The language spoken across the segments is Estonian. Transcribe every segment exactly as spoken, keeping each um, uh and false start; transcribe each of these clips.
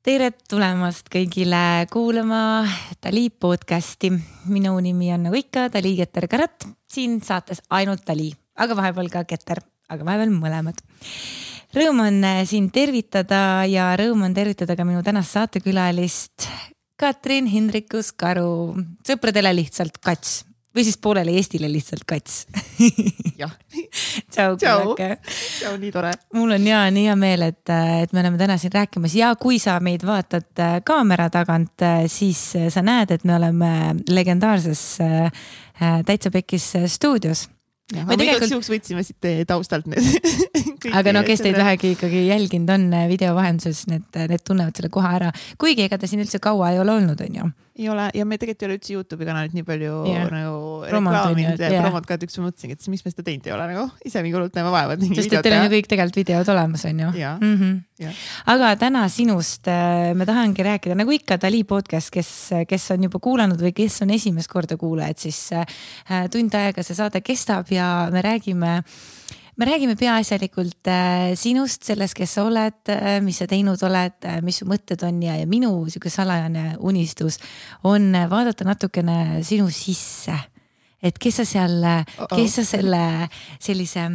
Tere tulemast kõigile kuulama Dali podcasti. Minu nimi on nagu ikka Dali Keter Karat. Siin saates ainult Dali, aga vahepeal ka Keter, aga vahepeal mõlemad. Rõõm on siin tervitada ja rõõm on tervitada ka minu tänast saatekülalist Katrin Hindrikus Karu. Sõpradele lihtsalt Kats. Või siis poolele Eestile lihtsalt Kats. Jah. Tšau, Tšau. Tšau, nii tore. Mul on ja nii hea meel, et, et me oleme täna siin rääkimas ja kui sa meid vaatad kaamera tagant, siis sa näed, et me oleme legendaarses Täitsa Pekis stuudios. Ja, ma tegelikult... igaks juhuks võtsime siit taustalt need. Aga no kes teid vähegi ikkagi jälginud on video vahenduses, need, need tunnevad selle koha ära. Kuigi ega ta siin üldse kaua ei ole olnud, on ju? Ei ole, ja me tegelikult ei ole üldse YouTube'i kanalit nii palju yeah. nagu reklaaminud ja promot ka, et üks ma mõtlesin, et miks me seda teinud ei ole nagu ise mingi hullult näeme vaevad. Sest et teil on ju kõik tegelikult videod olemas, on ju? Ja. Mm-hmm. Ja. Aga täna sinust me tahangi rääkida, nagu ikka Dali podcast, kes, kes on juba kuulanud või kes on esimest korda kuulajad, siis tund aega see saade kestab ja me räägime Me räägime peaasjalikult äh, sinust, sellest, kes sa oled, äh, mis sa teinud oled, äh, mis su mõtted on ja, ja minu siuke salajane unistus on vaadata natukene sinu sisse. Et kes sa seal, kes sa selle sellise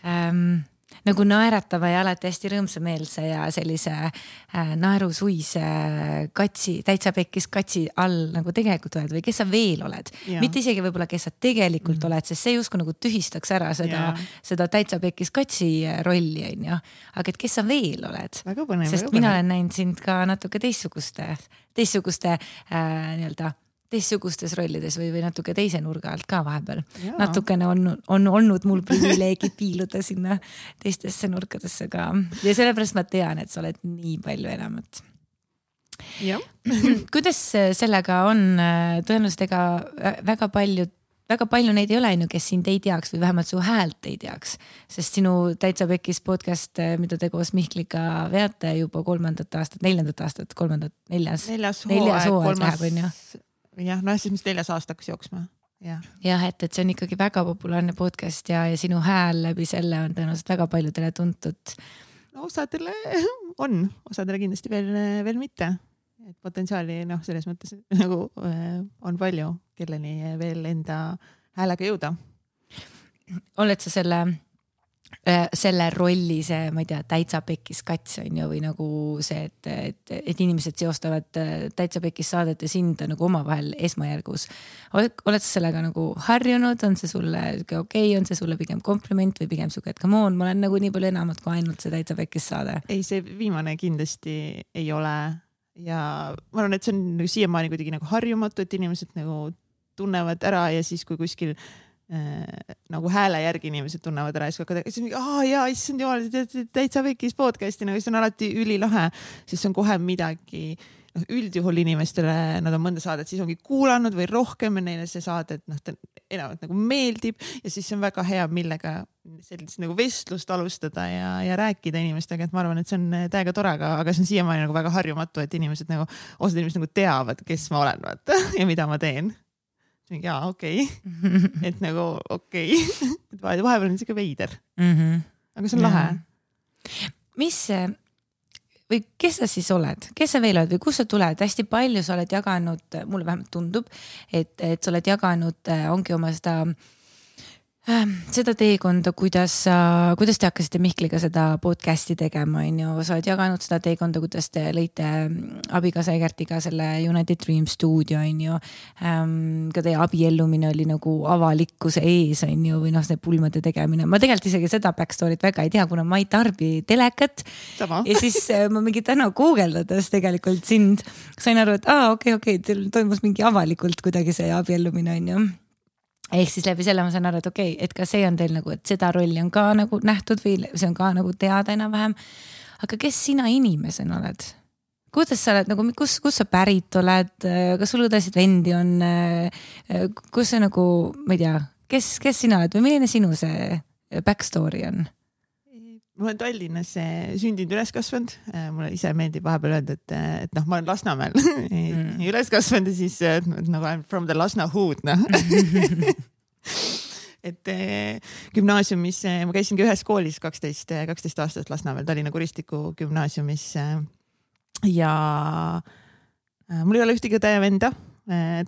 ähm, nagu naeratava ja alati hästi rõõmsameelse ja sellise äh, naerusuise katsi, Täitsa Pekis katsi all nagu tegelikult oled või kes sa veel oled. Yeah. Mitte isegi võib-olla, kes sa tegelikult mm. oled, sest see justkui nagu tühistaks ära seda, yeah. seda Täitsa Pekis katsi rolli, on ju. Aga et kes sa veel oled? Väga põnev, sest väga mina olen näinud sind ka natuke teistsuguste, teistsuguste äh, nii-öelda teistsugustes rollides või, või natuke teise nurga alt ka vahepeal. Jaa. Natukene on, on olnud mul privileegi piiluda sinna teistesse nurkadesse ka. Ja sellepärast ma tean, et sa oled nii palju enamat. Jah. Kuidas sellega on? Tõenäoliselt ega väga palju, väga palju neid ei ole, kes sind ei teaks või vähemalt su häält ei teaks. Sest sinu Täitsa Pekis podcast, mida te koos Mihkliga veate juba kolmandat aastat, neljandat aastat, kolmandat, neljas. Neljas hooaeg, neljas hooaeg kolmas. Läheb, on ju? Jah, no siis mis neljas aasta hakkas jooksma. Ja. Jah, et, et see on ikkagi väga populaarne podcast ja, ja sinu hääl läbi selle on tõenäoliselt väga paljudele tuntud. No osadele on, osadele kindlasti veel, veel mitte. Et potentsiaali noh, selles mõttes nagu on palju, kelleni veel enda häälega jõuda. Oled sa selle, selle rolli, see, ma ei tea, Täitsa Pekis kats on ju, või nagu see, et, et, et inimesed seostavad Täitsa Pekis saadet ja sind nagu omavahel esmajärgus. Oled, oled sa sellega nagu harjunud? On see sulle okei? Okay? On see sulle pigem kompliment või pigem suke, et come on, ma olen nagu nii palju enamat kui ainult see Täitsa Pekis saade? Ei, see viimane kindlasti ei ole ja ma arvan, et see on nagu siiamaani kuidagi nagu harjumatu, et inimesed nagu tunnevad ära ja siis kui kuskil Äh, nagu hääle järgi inimesed tunnevad ära ja siis hakkavad, siis on mingi, aa jaa, issand jumal, Täitsa Pekis podcasti, nagu see on alati ülilahe, siis on kohe midagi, noh, üldjuhul inimestele, nad on mõnda saadet siis ongi kuulanud või rohkem ja neile see saade, et noh, ta enamalt nagu meeldib ja siis on väga hea, millega sellist nagu vestlust alustada ja, ja rääkida inimestega, et ma arvan, et see on täiega tore, aga, aga see on siiamaani nagu väga harjumatu, et inimesed nagu, osad inimesed nagu teavad, kes ma olen vaata, ja mida ma teen. Jaa, okei. Okay. Et nagu okei. Okay. Vahepeal on siuke veider. Mm-hmm. Aga see on lahe. Mis või kes sa siis oled? Kes sa veel oled või kus sa tuled? Hästi palju sa oled jaganud, mulle vähemalt tundub, et, et sa oled jaganud, ongi oma seda seda teekonda, kuidas, kuidas te hakkasite Mihkliga seda podcasti tegema, on ju, sa oled jaganud seda teekonda, kuidas te lõite abikaasa Egertiga selle United Dream stuudio, on ju, ka teie abiellumine oli nagu avalikkuse ees, on ju, või noh, see pulmade tegemine. Ma tegelikult isegi seda backstory't väga ei tea, kuna ma ei tarbi telekat. Sama. Ja siis ma mingi täna googeldades tegelikult sind sain aru, et aa, okei, okei, teil toimus mingi avalikult kuidagi see abiellumine, on ju. Ehk siis läbi selle ma saan aru, et okei, okay, et ka see on teil nagu, et seda rolli on ka nagu nähtud või see on ka nagu teada enam-vähem. Aga kes sina inimesena oled? Kuidas sa oled, nagu, kus, kus sa pärit oled? Kas sul õdesid vendi on? Kus sa nagu, ma ei tea, kes, kes sina oled või milline sinu see backstory on? Ma olen Tallinnas sündinud üles kasvanud. Mulle ise meeldib vahepeal öelda, et, et noh, ma olen Lasnamäel mm. üles kasvanud ja siis nagu I'm from the Lasna hood, noh. et gümnaasiumis, ma käisingi ühes koolis kaksteist, kaksteist aastat Lasnamäel, Tallinna Kuristiku gümnaasiumis ja mul ei ole ühtegi õde ja venda,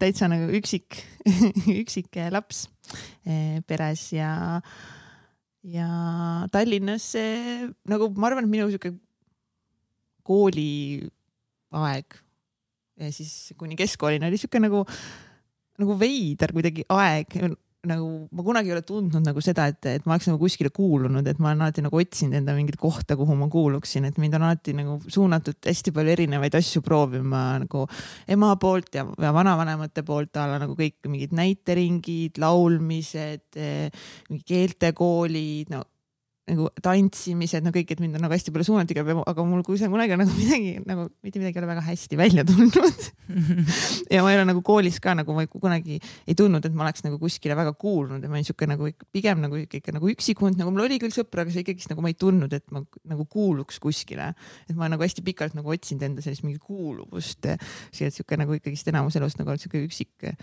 täitsa nagu üksik, üksik laps peres ja, ja Tallinnas nagu ma arvan, et minu siuke kooliaeg ja siis kuni keskkoolini oli siuke nagu, nagu veider kuidagi aeg. Nagu ma kunagi ei ole tundnud nagu seda, et, et ma oleks nagu kuskile kuulunud, et ma olen alati nagu otsinud enda mingit kohta, kuhu ma kuuluksin, et mind on alati nagu suunatud hästi palju erinevaid asju proovima nagu ema poolt ja, ja vanavanemate poolt alla nagu kõik mingid näiteringid, laulmised, mingi keeltekoolid, no nagu tantsimised, no kõik, et mind on nagu hästi palju suunati, aga mul kui see kunagi on nagu midagi, nagu mitte midagi ei ole väga hästi välja tulnud. ja ma ei ole nagu koolis ka nagu ma kunagi ei tundnud, et ma oleks nagu kuskile väga kuulnud ja ma olin siuke nagu pigem nagu ikka nagu üksikund, nagu mul oli küll sõpra, aga see ikkagi nagu ma ei tundnud, et ma nagu kuuluks kuskile. Et ma nagu hästi pikalt nagu otsinud enda sellist mingi kuuluvust. Siuke nagu ikkagi enamus elust nagu siuke üksik eh,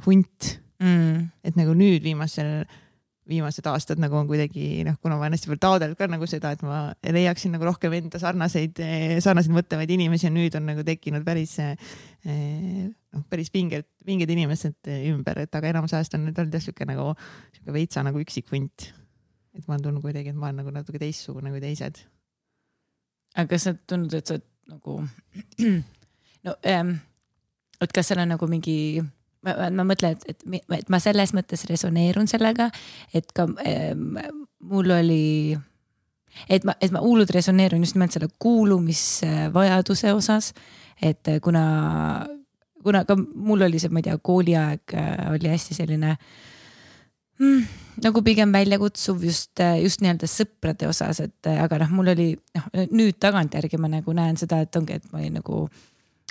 hunt. Mm. Et nagu nüüd viimasel viimased aastad nagu on kuidagi, noh, kuna ma olen hästi palju taadel ka nagu seda, et ma leiaksin nagu rohkem enda sarnaseid, sarnaseid mõtlevaid inimesi ja nüüd on nagu tekkinud päris, noh, päris pinged, pinged inimesed ümber, et aga enamus ajast on nüüd olnud siuke nagu, siuke veitsa nagu üksik hunt. Et ma olen tulnud kuidagi, et ma olen nagu natuke teistsugune kui teised. Aga kas sa tundnud, et sa nagu, no, ähm, et kas seal on nagu mingi Ma, ma mõtlen, et, et, et ma selles mõttes resoneerun sellega, et ka äh, mul oli, et ma, et ma hullud resoneerun just nimelt selle kuulumisvajaduse osas, et kuna, kuna ka mul oli see, ma ei tea, kooliaeg oli hästi selline mm, nagu pigem väljakutsuv just, just nii-öelda sõprade osas, et aga noh, mul oli, noh, nüüd tagantjärgi ma nagu näen seda, et ongi, et ma olin nagu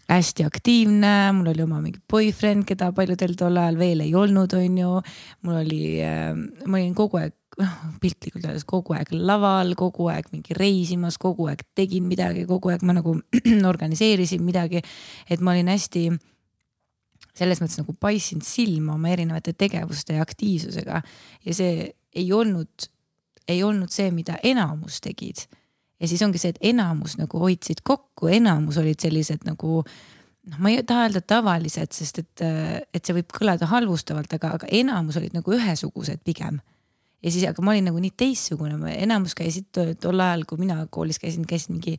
hästi aktiivne, mul oli oma mingi boyfriend, keda paljudel tol ajal veel ei olnud, on ju. Mul oli, ma olin kogu aeg, piltlikult öeldes kogu aeg laval, kogu aeg mingi reisimas, kogu aeg tegin midagi, kogu aeg ma nagu organiseerisin midagi, et ma olin hästi selles mõttes nagu paissin silma oma erinevate tegevuste ja aktiivsusega ja see ei olnud, ei olnud see, mida enamus tegid. Ja siis ongi see, et enamus nagu hoidsid kokku, enamus olid sellised nagu, noh, ma ei taha öelda tavalised, sest et, et see võib kõlada halvustavalt, aga, aga enamus olid nagu ühesugused pigem. Ja siis, aga ma olin nagu nii teissugune, enamus käisid tol ajal, kui mina koolis käisin, käisid mingi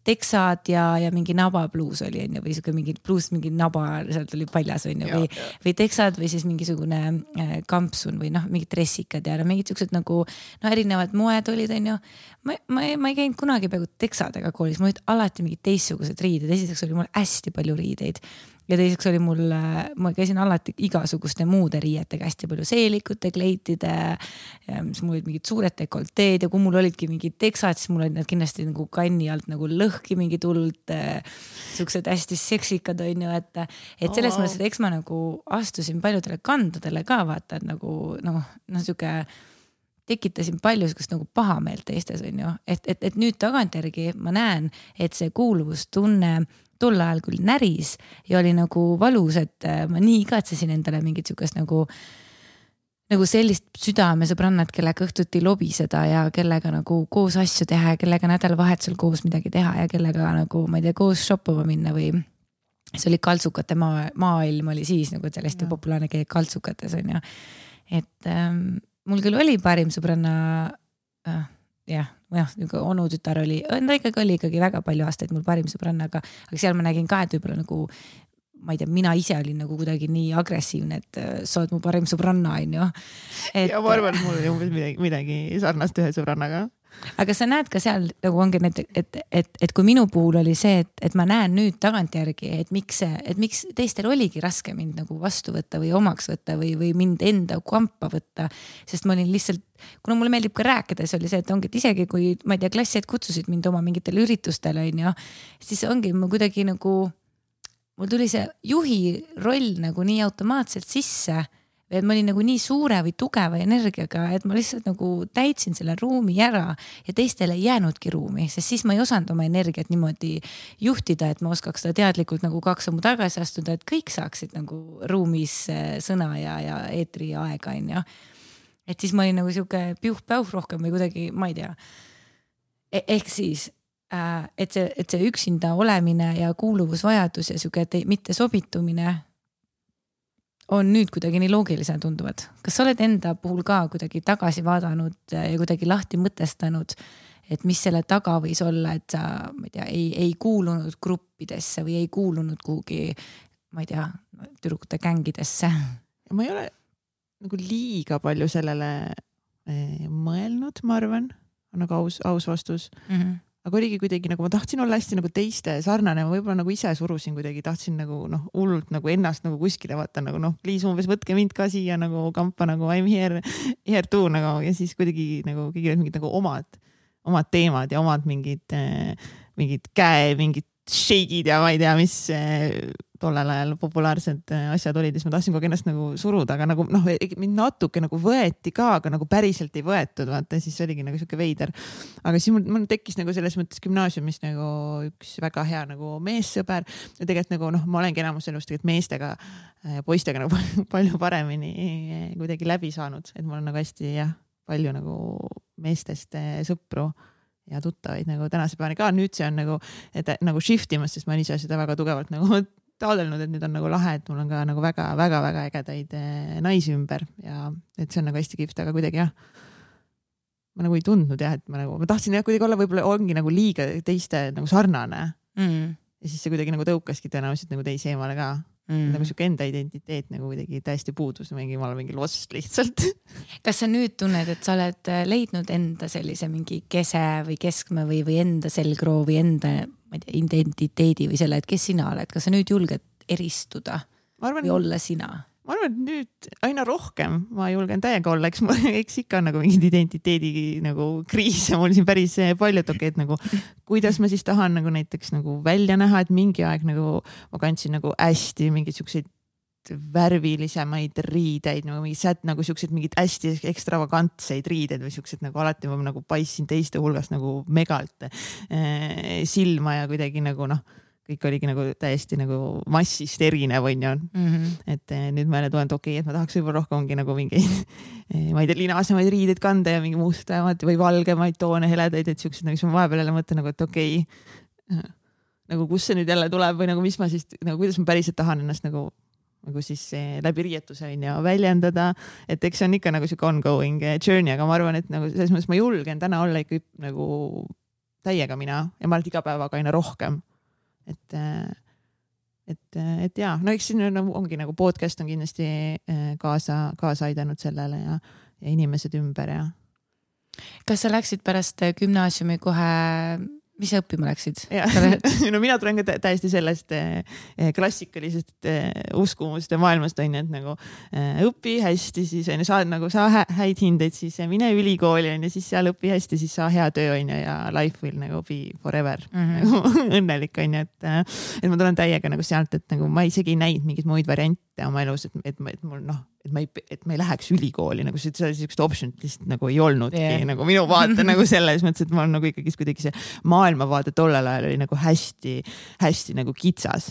teksad ja, ja mingi nabapluus oli, on ju, või siuke mingi pluus, mingi naba, sealt oli paljas, on ju, või, või teksad või siis mingisugune kampsun või noh, mingid dressikad ja no, mingid siuksed nagu, no erinevad moed olid, on ju. Ma, ma, ma ei käinud kunagi peaaegu teksadega koolis, mul olid alati mingid teissugused riided, esiteks oli mul hästi palju riideid. Ja teiseks oli mul, ma käisin alati igasuguste muude riietega, hästi palju seelikute, kleitide, mis mul olid mingid suured dekolteed ja kui mul olidki mingid teksad, siis mul olid need kindlasti nagu kanni alt nagu lõhki mingi tulnud, siuksed hästi seksikad on ju, et, et selles oh, mõttes, et eks ma nagu astusin paljudele kandadele ka vaata, et nagu, noh, noh, siuke tekitasin palju siukest nagu pahameelt teistes on ju, et, et, et nüüd tagantjärgi ma näen, et see kuuluvustunne tol ajal küll näris ja oli nagu valus, et ma nii igatsesin endale mingit siukest nagu, nagu sellist südamesõbrannat, kellega õhtuti lobiseda ja kellega nagu koos asju teha ja kellega nädalavahetusel koos midagi teha ja kellega nagu, ma ei tea, koos shoppama minna või see oli kaltsukate maa, maailm oli siis nagu sellest ja. Populaarne keegi kaltsukates on ju. Et ähm, mul küll oli parim sõbranna äh, jah, jah, onu tütar oli, ta ikkagi oli ikkagi väga palju aastaid mul parim sõbranna, aga, aga seal ma nägin ka, et võib-olla nagu, ma ei tea, mina ise olin nagu kuidagi nii agressiivne, et sa oled mu parim sõbranna, on ju. Et... Ja ma arvan, et mul oli umbes midagi, midagi sarnast ühe sõbrannaga. Aga sa näed ka seal nagu ongi need, et, et, et kui minu puhul oli see, et, et ma näen nüüd tagantjärgi, et miks, et miks teistel oligi raske mind nagu vastu võtta või omaks võtta või, või mind enda kampa võtta, sest ma olin lihtsalt, kuna mulle meeldib ka rääkida, siis oli see, et ongi, et isegi kui ma ei tea, klassied kutsusid mind oma mingitele üritustele, on ju, siis ongi ma kuidagi nagu, mul tuli see juhi roll nagu nii automaatselt sisse, et ma olin nagu nii suure või tugeva energiaga, et ma lihtsalt nagu täitsin selle ruumi ära ja teistele ei jäänudki ruumi, sest siis ma ei osanud oma energiat niimoodi juhtida, et ma oskaks seda teadlikult nagu kaks sammu tagasi astuda, et kõik saaksid nagu ruumis sõna ja, ja eetri aega, on ju. Et siis ma olin nagu siuke piuh-päuh rohkem või kuidagi, ma ei tea. E- ehk siis et see, et see üksinda olemine ja kuuluvusvajadus ja siuke mitte sobitumine on nüüd kuidagi nii loogilisena tunduvad. Kas sa oled enda puhul ka kuidagi tagasi vaadanud ja kuidagi lahti mõtestanud, et mis selle taga võis olla, et sa ma ei tea, ei, ei kuulunud gruppidesse või ei kuulunud kuhugi, ma ei tea, tüdrukute gängidesse? Ma ei ole nagu liiga palju sellele mõelnud, ma arvan, on nagu aus, aus vastus. Mm-hmm. Aga oligi kuidagi nagu ma tahtsin olla hästi nagu teiste sarnane, ma võib-olla nagu ise surusin kuidagi, tahtsin nagu noh, hullult nagu ennast nagu kuskile vaata nagu noh, pliis umbes võtke mind ka siia nagu kampa nagu I m here, here too nagu ja siis kuidagi nagu kõigil mingid nagu omad, omad teemad ja omad mingid, mingid käe, mingid shake'id ja ma ei tea, mis tollel ajal populaarsed asjad olid, siis ma tahtsin kogu ennast nagu suruda, aga nagu noh, mind natuke nagu võeti ka, aga nagu päriselt ei võetud, vaata, siis oligi nagu siuke veider. Aga siis mul, mul tekkis nagu selles mõttes gümnaasiumis nagu üks väga hea nagu meessõber ja tegelikult nagu noh, ma olengi enamus elust tegelikult meestega ja poistega nagu palju paremini kuidagi läbi saanud, et mul on nagu hästi jah, palju nagu meestest sõpru ja tuttavaid nagu tänase päevani ka. Nüüd see on nagu, et nagu shiftimas, sest ma ise seda väga tugevalt nagu taadelnud, et nüüd on nagu lahe, et mul on ka nagu väga, väga, väga ägedaid naisi ümber ja et see on nagu hästi kihvt, aga kuidagi jah, ma nagu ei tundnud jah, et ma nagu, ma tahtsin jah kuidagi olla, võib-olla ongi nagu liiga teiste nagu sarnane mm. ja siis see kuidagi nagu tõukaski tõenäoliselt nagu teisi eemale ka. Mm. Nagu siuke enda identiteet nagu kuidagi täiesti puudus, mingi, ma olen mingi lost lihtsalt. Kas sa nüüd tunned, et sa oled leidnud enda sellise mingi kese või keskme või, või enda selgroo või enda ma ei tea, identiteedi või selle, et kes sina oled? Kas sa nüüd julged eristuda arvan, või olla sina? Ma arvan, et nüüd aina rohkem ma julgen täiega olla, eks, eks ikka nagu mingid identiteedi nagu kriise mul siin päris palju, et okei, et nagu kuidas ma siis tahan nagu näiteks nagu välja näha, et mingi aeg nagu ma kandsin nagu hästi mingid siukseid värvilisemaid riideid, nagu mingi sät, nagu siuksed mingid hästi ekstravagantseid riideid või siuksed nagu alati ma nagu paissin teiste hulgas nagu megalt eh, silma ja kuidagi nagu noh, kõik oligi nagu täiesti nagu massist erinev on ju. Mm-hmm. Et eh, nüüd ma jälle tulen, et okei, okay, et ma tahaks võib-olla rohkemgi nagu mingi eh, ma ei tea, linasemaid riideid kanda ja mingi mustamaid või valgemaid toone heledaid, et siuksed nagu, siis ma vahepeal jälle mõtlen nagu, et okei okay, nagu kus see nüüd jälle tuleb või nagu mis ma siis, nagu kuidas ma päriselt tahan ennast nagu nagu siis eh, läbi riietuse on ja väljendada, et eks see on ikka nagu siuke ongoing journey, aga ma arvan, et nagu selles mõttes ma julgen täna olla ikka nagu täiega mina ja ma olen iga päevaga aina rohkem. Et, et, et jaa, no eks siin nagu, ongi nagu podcast on kindlasti kaasa, kaasa aidanud sellele ja, ja inimesed ümber ja. Kas sa läksid pärast gümnaasiumi kohe, mis sa õppima läksid? No mina tulen ka täiesti sellest klassikalisest uskumuste maailmast on, et nagu õpi hästi, siis on, saa, nagu saa häid hindeid, siis mine ülikooli on ja siis seal õpi hästi, siis saa hea töö on ja life will nagu be forever mm-hmm. nagu õnnelik on, et, et ma tulen täiega nagu sealt, et nagu ma isegi ei näinud mingeid muid variante oma elus, et, et, et mul noh, et ma ei, et ma ei läheks ülikooli, nagu see sellist optionit lihtsalt nagu ei olnudki yeah. nagu minu vaate nagu selles mõttes, et ma olen nagu ikkagi kuidagi see maailmavaade tollel ajal oli nagu hästi, hästi nagu kitsas.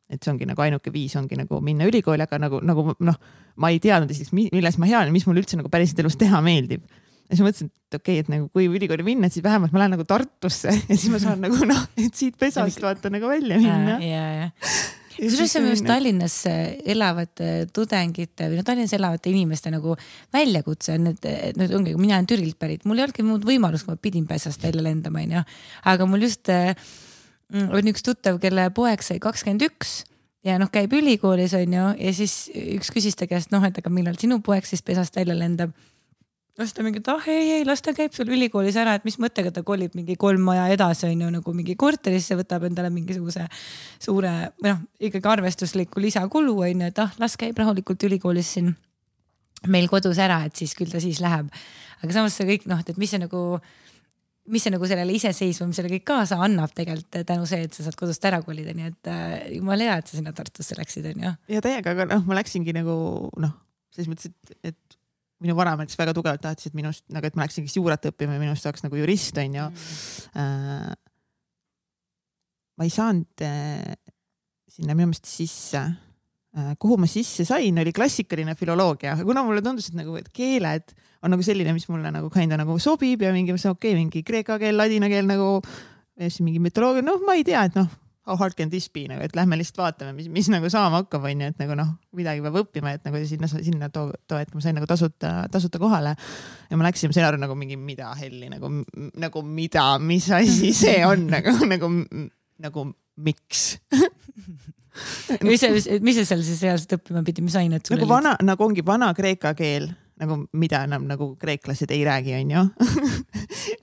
Et see ongi nagu ainuke viis ongi nagu minna ülikooli, aga nagu, nagu noh, ma ei teadnud esiteks, milles ma hea olen, mis mul üldse nagu päriselt elus teha meeldib. Ja siis mõtlesin, et okei, et nagu kui ülikooli minna, et siis vähemalt ma lähen nagu Tartusse ja siis ma saan nagu noh, et siit pesast vaata nagu välja minna. Ja, ja. Kusjuures see on just Tallinnas elavate tudengite või no Tallinnas elavate inimeste nagu väljakutse on, et, et nüüd ongi, mina olen Türgilt pärit, mul ei olnudki muud võimalus, kui ma pidin pesast välja lendama, ja. Aga mul just on üks tuttav, kelle poeg sai kakskümmend üks ja noh, käib ülikoolis on ju, ja siis üks küsis ta käest, noh, et aga millal sinu poeg siis pesast välja lendab. Las ta mingi, et ah ei, ei, las ta käib sul ülikoolis ära, et mis mõttega ta kolib mingi kolm maja edasi on ju nagu mingi korterisse, võtab endale mingisuguse suure, noh, ikkagi arvestusliku lisakulu on ju, et ah, las käib rahulikult ülikoolis siin meil kodus ära, et siis küll ta siis läheb. Aga samas see kõik, noh, et mis see nagu, mis see nagu sellele iseseisvumisele kõik kaasa annab tegelikult tänu see, et sa saad kodust ära kolida, nii et jumal hea, et sa sinna Tartusse läksid on ju. Ja täiega, aga noh, ma läksingi nagu, noh, selles mõttes, et, et minu vanamees väga tugevalt tahtsid minust, nagu et ma läksin juurat õppima ja minust saaks nagu jurist, on ju. Mm. Äh, ma ei saanud äh, sinna minu meelest sisse. Äh, kuhu ma sisse sain, oli klassikaline filoloogia. Kuna mulle tundus, et, nagu, et keeled on nagu selline, mis mulle nagu kinda nagu sobib ja mingi, okei, mingi kreeka keel, ladina keel nagu ja siis mingi mütoloogia, noh, ma ei tea, et noh, how hard can this be, nagu, et lähme lihtsalt vaatame, mis, mis nagu saama hakkab, on ju, et nagu noh, midagi peab õppima, et nagu sinna, sinna too, too, et ma sain nagu tasuta, tasuta kohale ja ma läksin, ma sain aru nagu mingi mida helli, nagu, nagu mida, mis asi see on, nagu, nagu, nagu miks mis, mis sa seal siis reaalselt õppima pidi, mis ained sul nagu vana, nagu ongi vana kreeka keel, nagu mida enam nagu kreeklased ei räägi, on ju.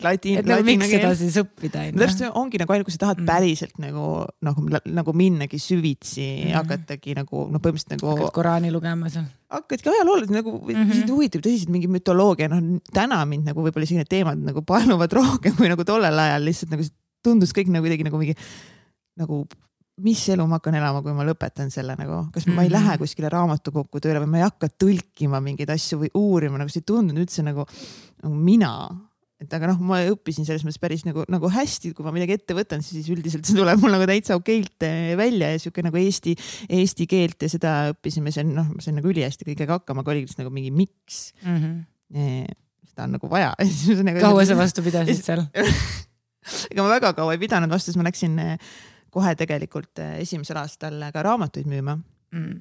Ladin, et nagu miks seda siis õppida? No, täpselt ongi nagu ainult, kui sa tahad mm. päriselt nagu, nagu, nagu minnagi süvitsi mm. hakatagi nagu, no põhimõtteliselt nagu. Hakkad Koraani lugema seal. Hakkadki ajaloolid nagu mm -hmm. huvitab tõsiselt mingi mütoloogia, noh täna mind nagu võib-olla isegi need teemad nagu paeluvad rohkem kui nagu tollel ajal lihtsalt nagu tundus kõik nagu kuidagi nagu mingi nagu mis elu ma hakkan elama, kui ma lõpetan selle nagu, kas ma ei lähe kuskile raamatukokku tööle või ma ei hakka tõlkima mingeid asju või uurima, nagu see ei tundunud üldse nagu, nagu mina. Et aga noh, ma õppisin selles mõttes päris nagu, nagu hästi, kui ma midagi ette võtan, siis üldiselt see tuleb mul nagu täitsa okeilt välja ja siuke nagu Eesti, Eesti keelt ja seda õppisime, see on, noh, see on nagu ülihästi kõigega hakkama, aga oligi nagu mingi miks. Mm -hmm. Seda on nagu vaja. Nagu, kaua sa vastu pidasid seal? Ega ma väga kaua ei pidanud vastu, siis ma läksin kohe tegelikult esimesel aastal ka raamatuid müüma. Mm.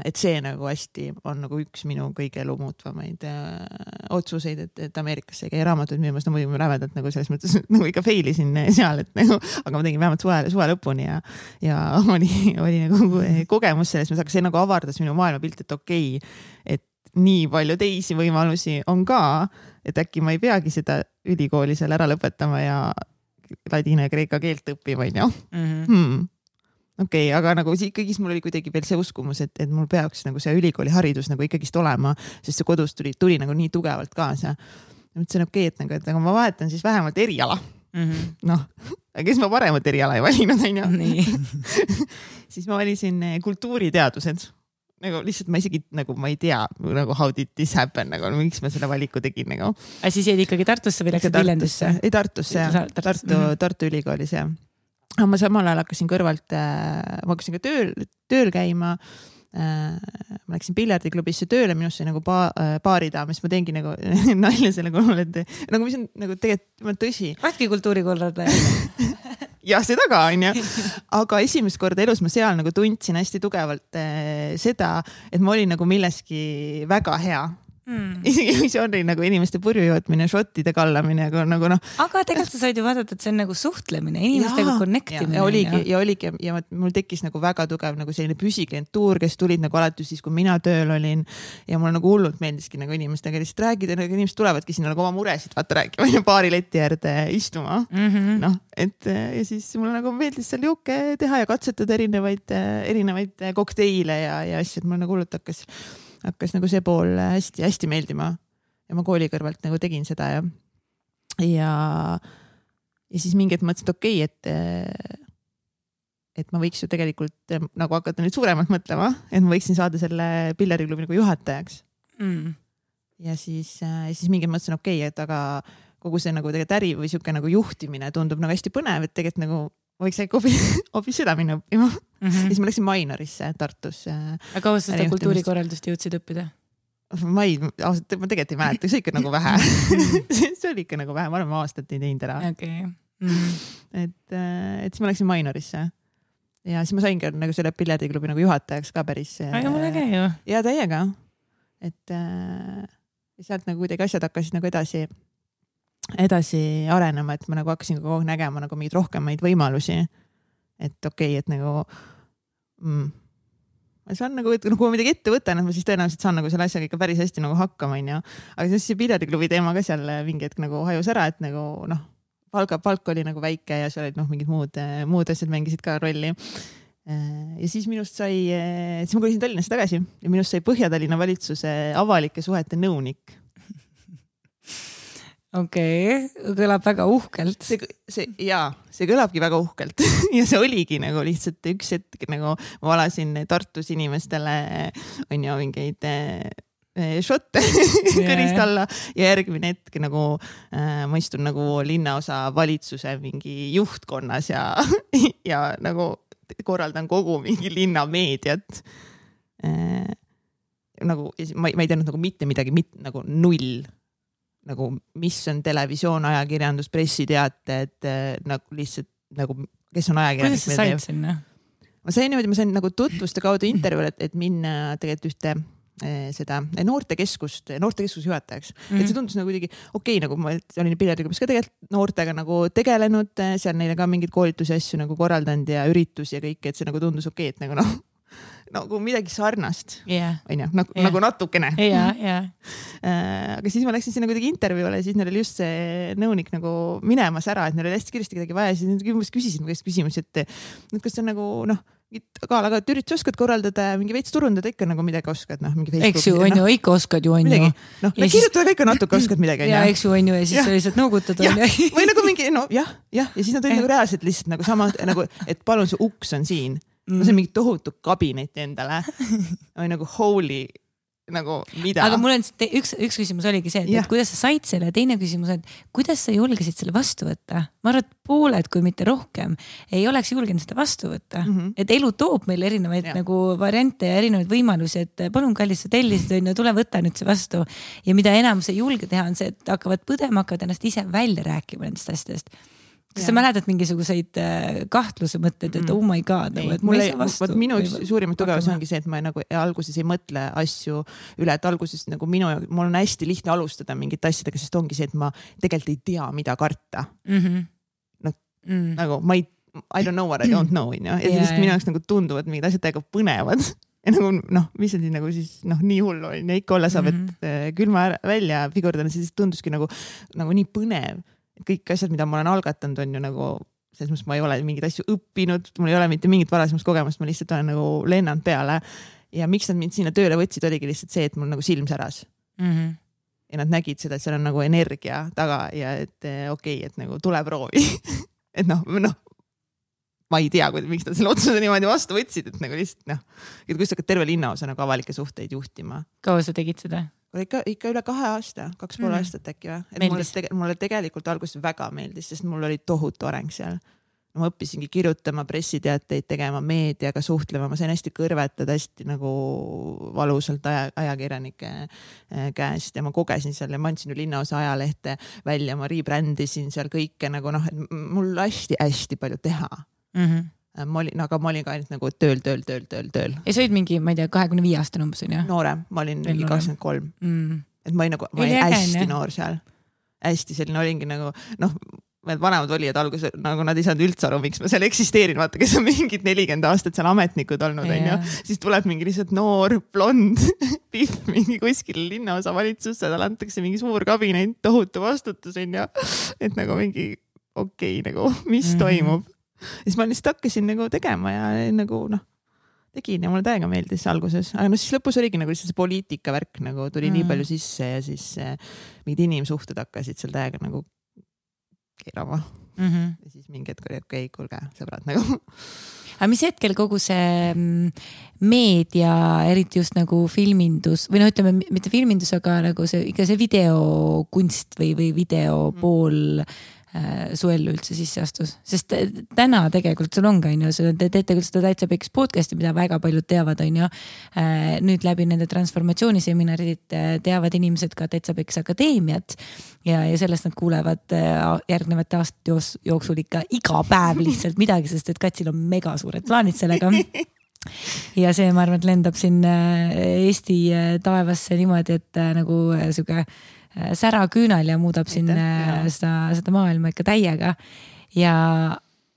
Et see nagu hästi on nagu üks minu kõige elu muutvamaid äh, otsuseid, et, et Ameerikasse käi raamatuid müümas, no muidugi ma rävedalt nagu selles mõttes nagu ikka failisin seal, et nagu, aga ma tegin vähemalt suve, suve lõpuni ja, ja oli, oli nagu kogemus selles mõttes, aga see nagu avardas minu maailmapilt, et okei, okay, et nii palju teisi võimalusi on ka, et äkki ma ei peagi seda ülikooli seal ära lõpetama ja ladina ja kreeka keelt õppima, on ju. Mm-hmm. Hmm. Okei, okay, aga nagu ikkagi mul oli kuidagi veel see uskumus, et, et mul peaks nagu see ülikooli haridus nagu ikkagist olema, sest see kodus tuli, tuli nagu nii tugevalt kaasa. Ja mõtlesin, okei, okay, et nagu, et aga ma vahetan siis vähemalt eriala. Mm-hmm. Noh, kes ma paremat eriala ei valinud, on ju. Siis ma valisin kultuuriteadused. Nagu lihtsalt ma isegi nagu ma ei tea nagu how did this happen, nagu miks ma selle valiku tegin nagu. Aga siis jäid ikkagi Tartusse või läksid Viljandisse? Ei, Tartusse, Tartu, Tartu, Tartu ülikoolis ja. Aga ma samal ajal hakkasin kõrvalt, ma hakkasin ka tööl, tööl käima. Ma läksin piljardiklubisse tööle, minust sai nagu baaridaam, siis ma teengi nagu nalja selle kolmel, et nagu mis on nagu tegelikult tõsi. Ratki kultuurikorraldaja. Ja seda ka, on ju. Aga esimest korda elus ma seal nagu tundsin hästi tugevalt eh, seda, et ma olin nagu milleski väga hea. Mm. Isegi see oli nagu inimeste purjujootmine, šottide kallamine, aga nagu noh. Aga tegelikult sa said ju vaadata, et see on nagu suhtlemine, inimestega connectimine. Ja oligi, ja oligi ja mul tekkis nagu väga tugev nagu selline püsiklientuur, kes tulid nagu alati siis, kui mina tööl olin ja mul nagu hullult meeldiski nagu inimestega lihtsalt räägida, nagu inimesed tulevadki sinna nagu oma muresid vaata rääkima ja baari leti äärde istuma. Mm-hmm. Noh, et ja siis mul nagu meeldis seal juuke teha ja katsetada erinevaid, erinevaid kokteile ja, ja asju, et mul nagu hullult hakkas hakkas nagu see pool hästi, hästi meeldima ja ma kooli kõrvalt nagu tegin seda ja ja, ja siis mingi hetk mõtlesin, et okei, et et ma võiks ju tegelikult nagu hakata nüüd suuremalt mõtlema, et ma võiksin saada selle pillariklubi nagu juhatajaks. Mm. Ja siis, ja siis mingi mõtlesin, okei, et aga kogu see nagu tegelikult äri või siuke nagu juhtimine tundub nagu hästi põnev, et tegelikult nagu võiks äkki hoopis seda minna õppima. Mm-hmm. Ja siis ma läksin Mainorisse Tartus. Aga kaua sa seda kultuurikorraldust jõudsid õppida? Ma ei, ausalt, ma tegelikult ei mäleta, see ikka nagu vähe. See oli ikka nagu vähe, ma arvan, ma aastat ei teinud ära. Okay. Mm-hmm. Et, et siis ma läksin Mainorisse. Ja siis ma sain ka nagu selle pillardiklubi nagu juhatajaks ka päris. Aga mul äge ju. Ja täiega. Et sealt nagu kuidagi asjad hakkasid nagu edasi edasi arenema, et ma nagu hakkasin kogu aeg nägema nagu mingeid rohkemaid võimalusi. Et okei, okay, et nagu mm, ma saan nagu, et kui ma midagi ette võtan, et ma siis tõenäoliselt saan nagu selle asjaga ikka päris hästi nagu hakkama, on ju. Aga siis see pillardiklubi teema ka seal mingi hetk nagu hajus ära, et nagu noh, palka, palk oli nagu väike ja seal olid noh, mingid muud, muud asjad mängisid ka rolli. Ja siis minust sai, siis ma kolisin Tallinnasse tagasi ja minust sai Põhja-Tallinna valitsuse avalike suhete nõunik. Okei, okay. Kõlab väga uhkelt. See, see, jaa, see kõlabki väga uhkelt ja see oligi nagu lihtsalt üks hetk, nagu ma valasin Tartus inimestele on ju mingeid šotte kõrist alla ja järgmine hetk nagu äh, ma istun nagu linnaosa valitsuse mingi juhtkonnas ja, ja nagu korraldan kogu mingi linna meediat. Äh, nagu, ma, ma ei teadnud nagu mitte midagi, mit, nagu null. nagu, mis on televisioon, ajakirjandus, pressiteated, nagu lihtsalt nagu, kes on ajakirjandus. Kuidas sa said sinna? Ma sain niimoodi, ma sain nagu tutvuste kaudu intervjuule, et, et minna tegelikult ühte seda noortekeskust, noortekeskuse juhatajaks. Mm-hmm. Et see tundus nagu kuidagi okei, okay, nagu ma olin piljardiklubis ka tegelikult noortega nagu tegelenud, seal neile ka mingeid koolitusi asju nagu korraldanud ja üritusi ja kõik, et see nagu tundus okei, okay, et nagu noh, nagu midagi sarnast. Yeah. On ju, nagu, yeah. nagu natukene. Yeah, yeah. Aga siis ma läksin sinna kuidagi intervjuule ja siis neil oli just see nõunik nagu minemas ära, et neil oli hästi kiiresti kedagi vaja ja siis nad küsisid mu käest küsimusi, et, et kas see on nagu noh, aga, aga et üritus oskad korraldada mingi veits turundada ikka nagu midagi oskad, noh, mingi Facebook. Eks ju, on ju, ikka oskad ju, on ju. Noh, no, kirjutada ka ikka natuke oskad midagi. Ja, eks ju, on ju, ja siis sa lihtsalt nõugutad. Või nagu mingi, no jah, jah, ja siis nad olid nagu reaalselt lihtsalt nagu sama, nagu, et palun see uks on siin. Mm. See on mingi tohutu kabineti endale. Või nagu holy, nagu mida. Aga mul on üks, üks küsimus oligi see, et, et kuidas sa said selle, teine küsimus, et kuidas sa julgesid selle vastu võtta? Ma arvan, et pooled, kui mitte rohkem, ei oleks julgenud seda vastu võtta. Mm-hmm. Et elu toob meil erinevaid ja. Nagu variante ja erinevaid võimalusi, et palun kallis, sa tellisid, on ju, tule võtta nüüd see vastu. Ja mida enam sa julge teha, on see, et hakkavad põdema, hakkavad ennast ise välja rääkima nendest asjadest. Kas ja. Sa mäletad mingisuguseid kahtluse mõtteid, et oh my god, nagu, et ma ei saa vastu? Minu üks suurimat tugevus ongi see, et ma nagu alguses ei mõtle asju üle, et alguses nagu minu, mul on hästi lihtne alustada mingit asjadega, sest ongi see, et ma tegelikult ei tea, mida karta. Mm-hmm. No, mm. nagu ma ei, I don't know what I don't know, ja yeah, siis minu jaoks nagu tunduvad mingid asjad täiega põnevad. Ja nagu noh, mis on siis nagu siis noh, nii hullu on ja ikka olla saab, et mm-hmm. külma välja figurdana, siis tunduski nagu, nagu nii põnev. Kõik asjad, mida ma olen algatanud, on ju nagu, selles mõttes ma ei ole mingid asju õppinud, mul ei ole mitte mingit varasemast kogemust, ma lihtsalt olen nagu lennanud peale. Ja miks nad mind sinna tööle võtsid, oligi lihtsalt see, et mul nagu silm säras. Mm-hmm. Ja nad nägid seda, et seal on nagu energia taga ja et okei, okay, et nagu tule proovi. et noh, noh, ma ei tea, miks nad selle otsuse niimoodi vastu võtsid, et nagu lihtsalt noh, et kui sa hakkad terve linnaosa nagu avalike suhteid juhtima. Kaua sa tegid seda? Ikka, ikka üle kahe aasta, kaks pool mm. aastat äkki või. Et mulle, tege, mulle tegelikult alguses väga meeldis, sest mul oli tohutu areng seal. Ma õppisingi kirjutama, pressiteateid tegema, meediaga suhtlema, ma sain hästi kõrvetada hästi nagu valusalt aja, ajakirjanike käest ja ma kogesin seal ja ma andsin ju linnaosa ajalehte välja, ma rebrändisin seal kõike nagu noh, et mul hästi-hästi palju teha. Mm-hmm. Ma olin, aga ma olin ka ainult nagu tööl, tööl, tööl, tööl, tööl. Ja sa olid mingi, ma ei tea, kahekümne viie aastane umbes on, jah? Noorem, ma olin mingi kakskümmend kolm. Mm. Et ma olin nagu, ma olin hästi ägen, noor seal. Hästi selline olingi nagu, noh, vanemad olijad alguses, nagu nad ei saanud üldse aru, miks ma seal eksisteerin, vaata, kes on mingid nelikümmend aastat seal ametnikud olnud, on ju. Siis tuleb mingi lihtsalt noor, blond, pihv, mingi kuskil linnaosa valitsusse, tal antakse mingi suur kabinet, tohutu vastutus, on ju. Et nagu mingi, okei, okay, nagu, mis mm-hmm. toimub. Ja siis ma lihtsalt hakkasin nagu tegema ja nagu noh, tegin ja mulle täiega meeldis alguses. Aga no siis lõpus oligi nagu see poliitika värk nagu tuli mm. nii palju sisse ja siis eh, mingid inimsuhted hakkasid seal täiega nagu keerama. Mm-hmm. Ja siis mingi hetk oli okei, okay, kuulge, sõbrad nagu. Aga mis hetkel kogu see meedia, eriti just nagu filmindus või noh, ütleme mitte filmindus, aga nagu see, ikka see videokunst või, või video mm. pool su ellu üldse sisse astus, sest täna tegelikult sul on ka, on ju, te teete küll seda Täitsa Peks podcasti, mida väga paljud teavad, on ju, nüüd läbi nende transformatsiooniseminarid teavad inimesed ka Täitsa Peks akadeemiat ja, ja sellest nad kuulevad järgnevate aastate jooksul ikka iga päev lihtsalt midagi, sest et Katsil on mega suured plaanid sellega. Ja see, ma arvan, et lendab siin Eesti taevasse niimoodi, et nagu siuke sära küünal ja muudab siin seda, seda maailma ikka täiega. Ja,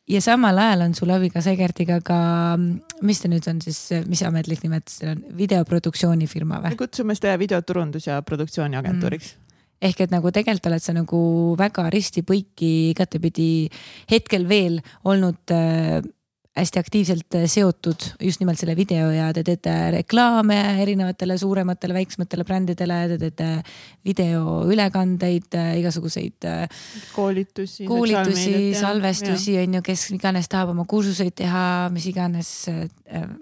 ja samal ajal on sul abiga Segertiga ka, mis ta nüüd on siis, mis ametlik nimetus on, videoproduktsioonifirma või? Me kutsume seda videoturundus- ja produktsiooniagentuuriks. Mm. Ehk et nagu tegelikult oled sa nagu väga risti põiki igatepidi hetkel veel olnud äh, hästi aktiivselt seotud just nimelt selle video ja te teete reklaame erinevatele suurematele, väiksematele brändidele, te teete videoülekandeid, igasuguseid koolitusi, koolitusi salvestusi, on ju, kes iganes tahab oma kursuseid teha, mis iganes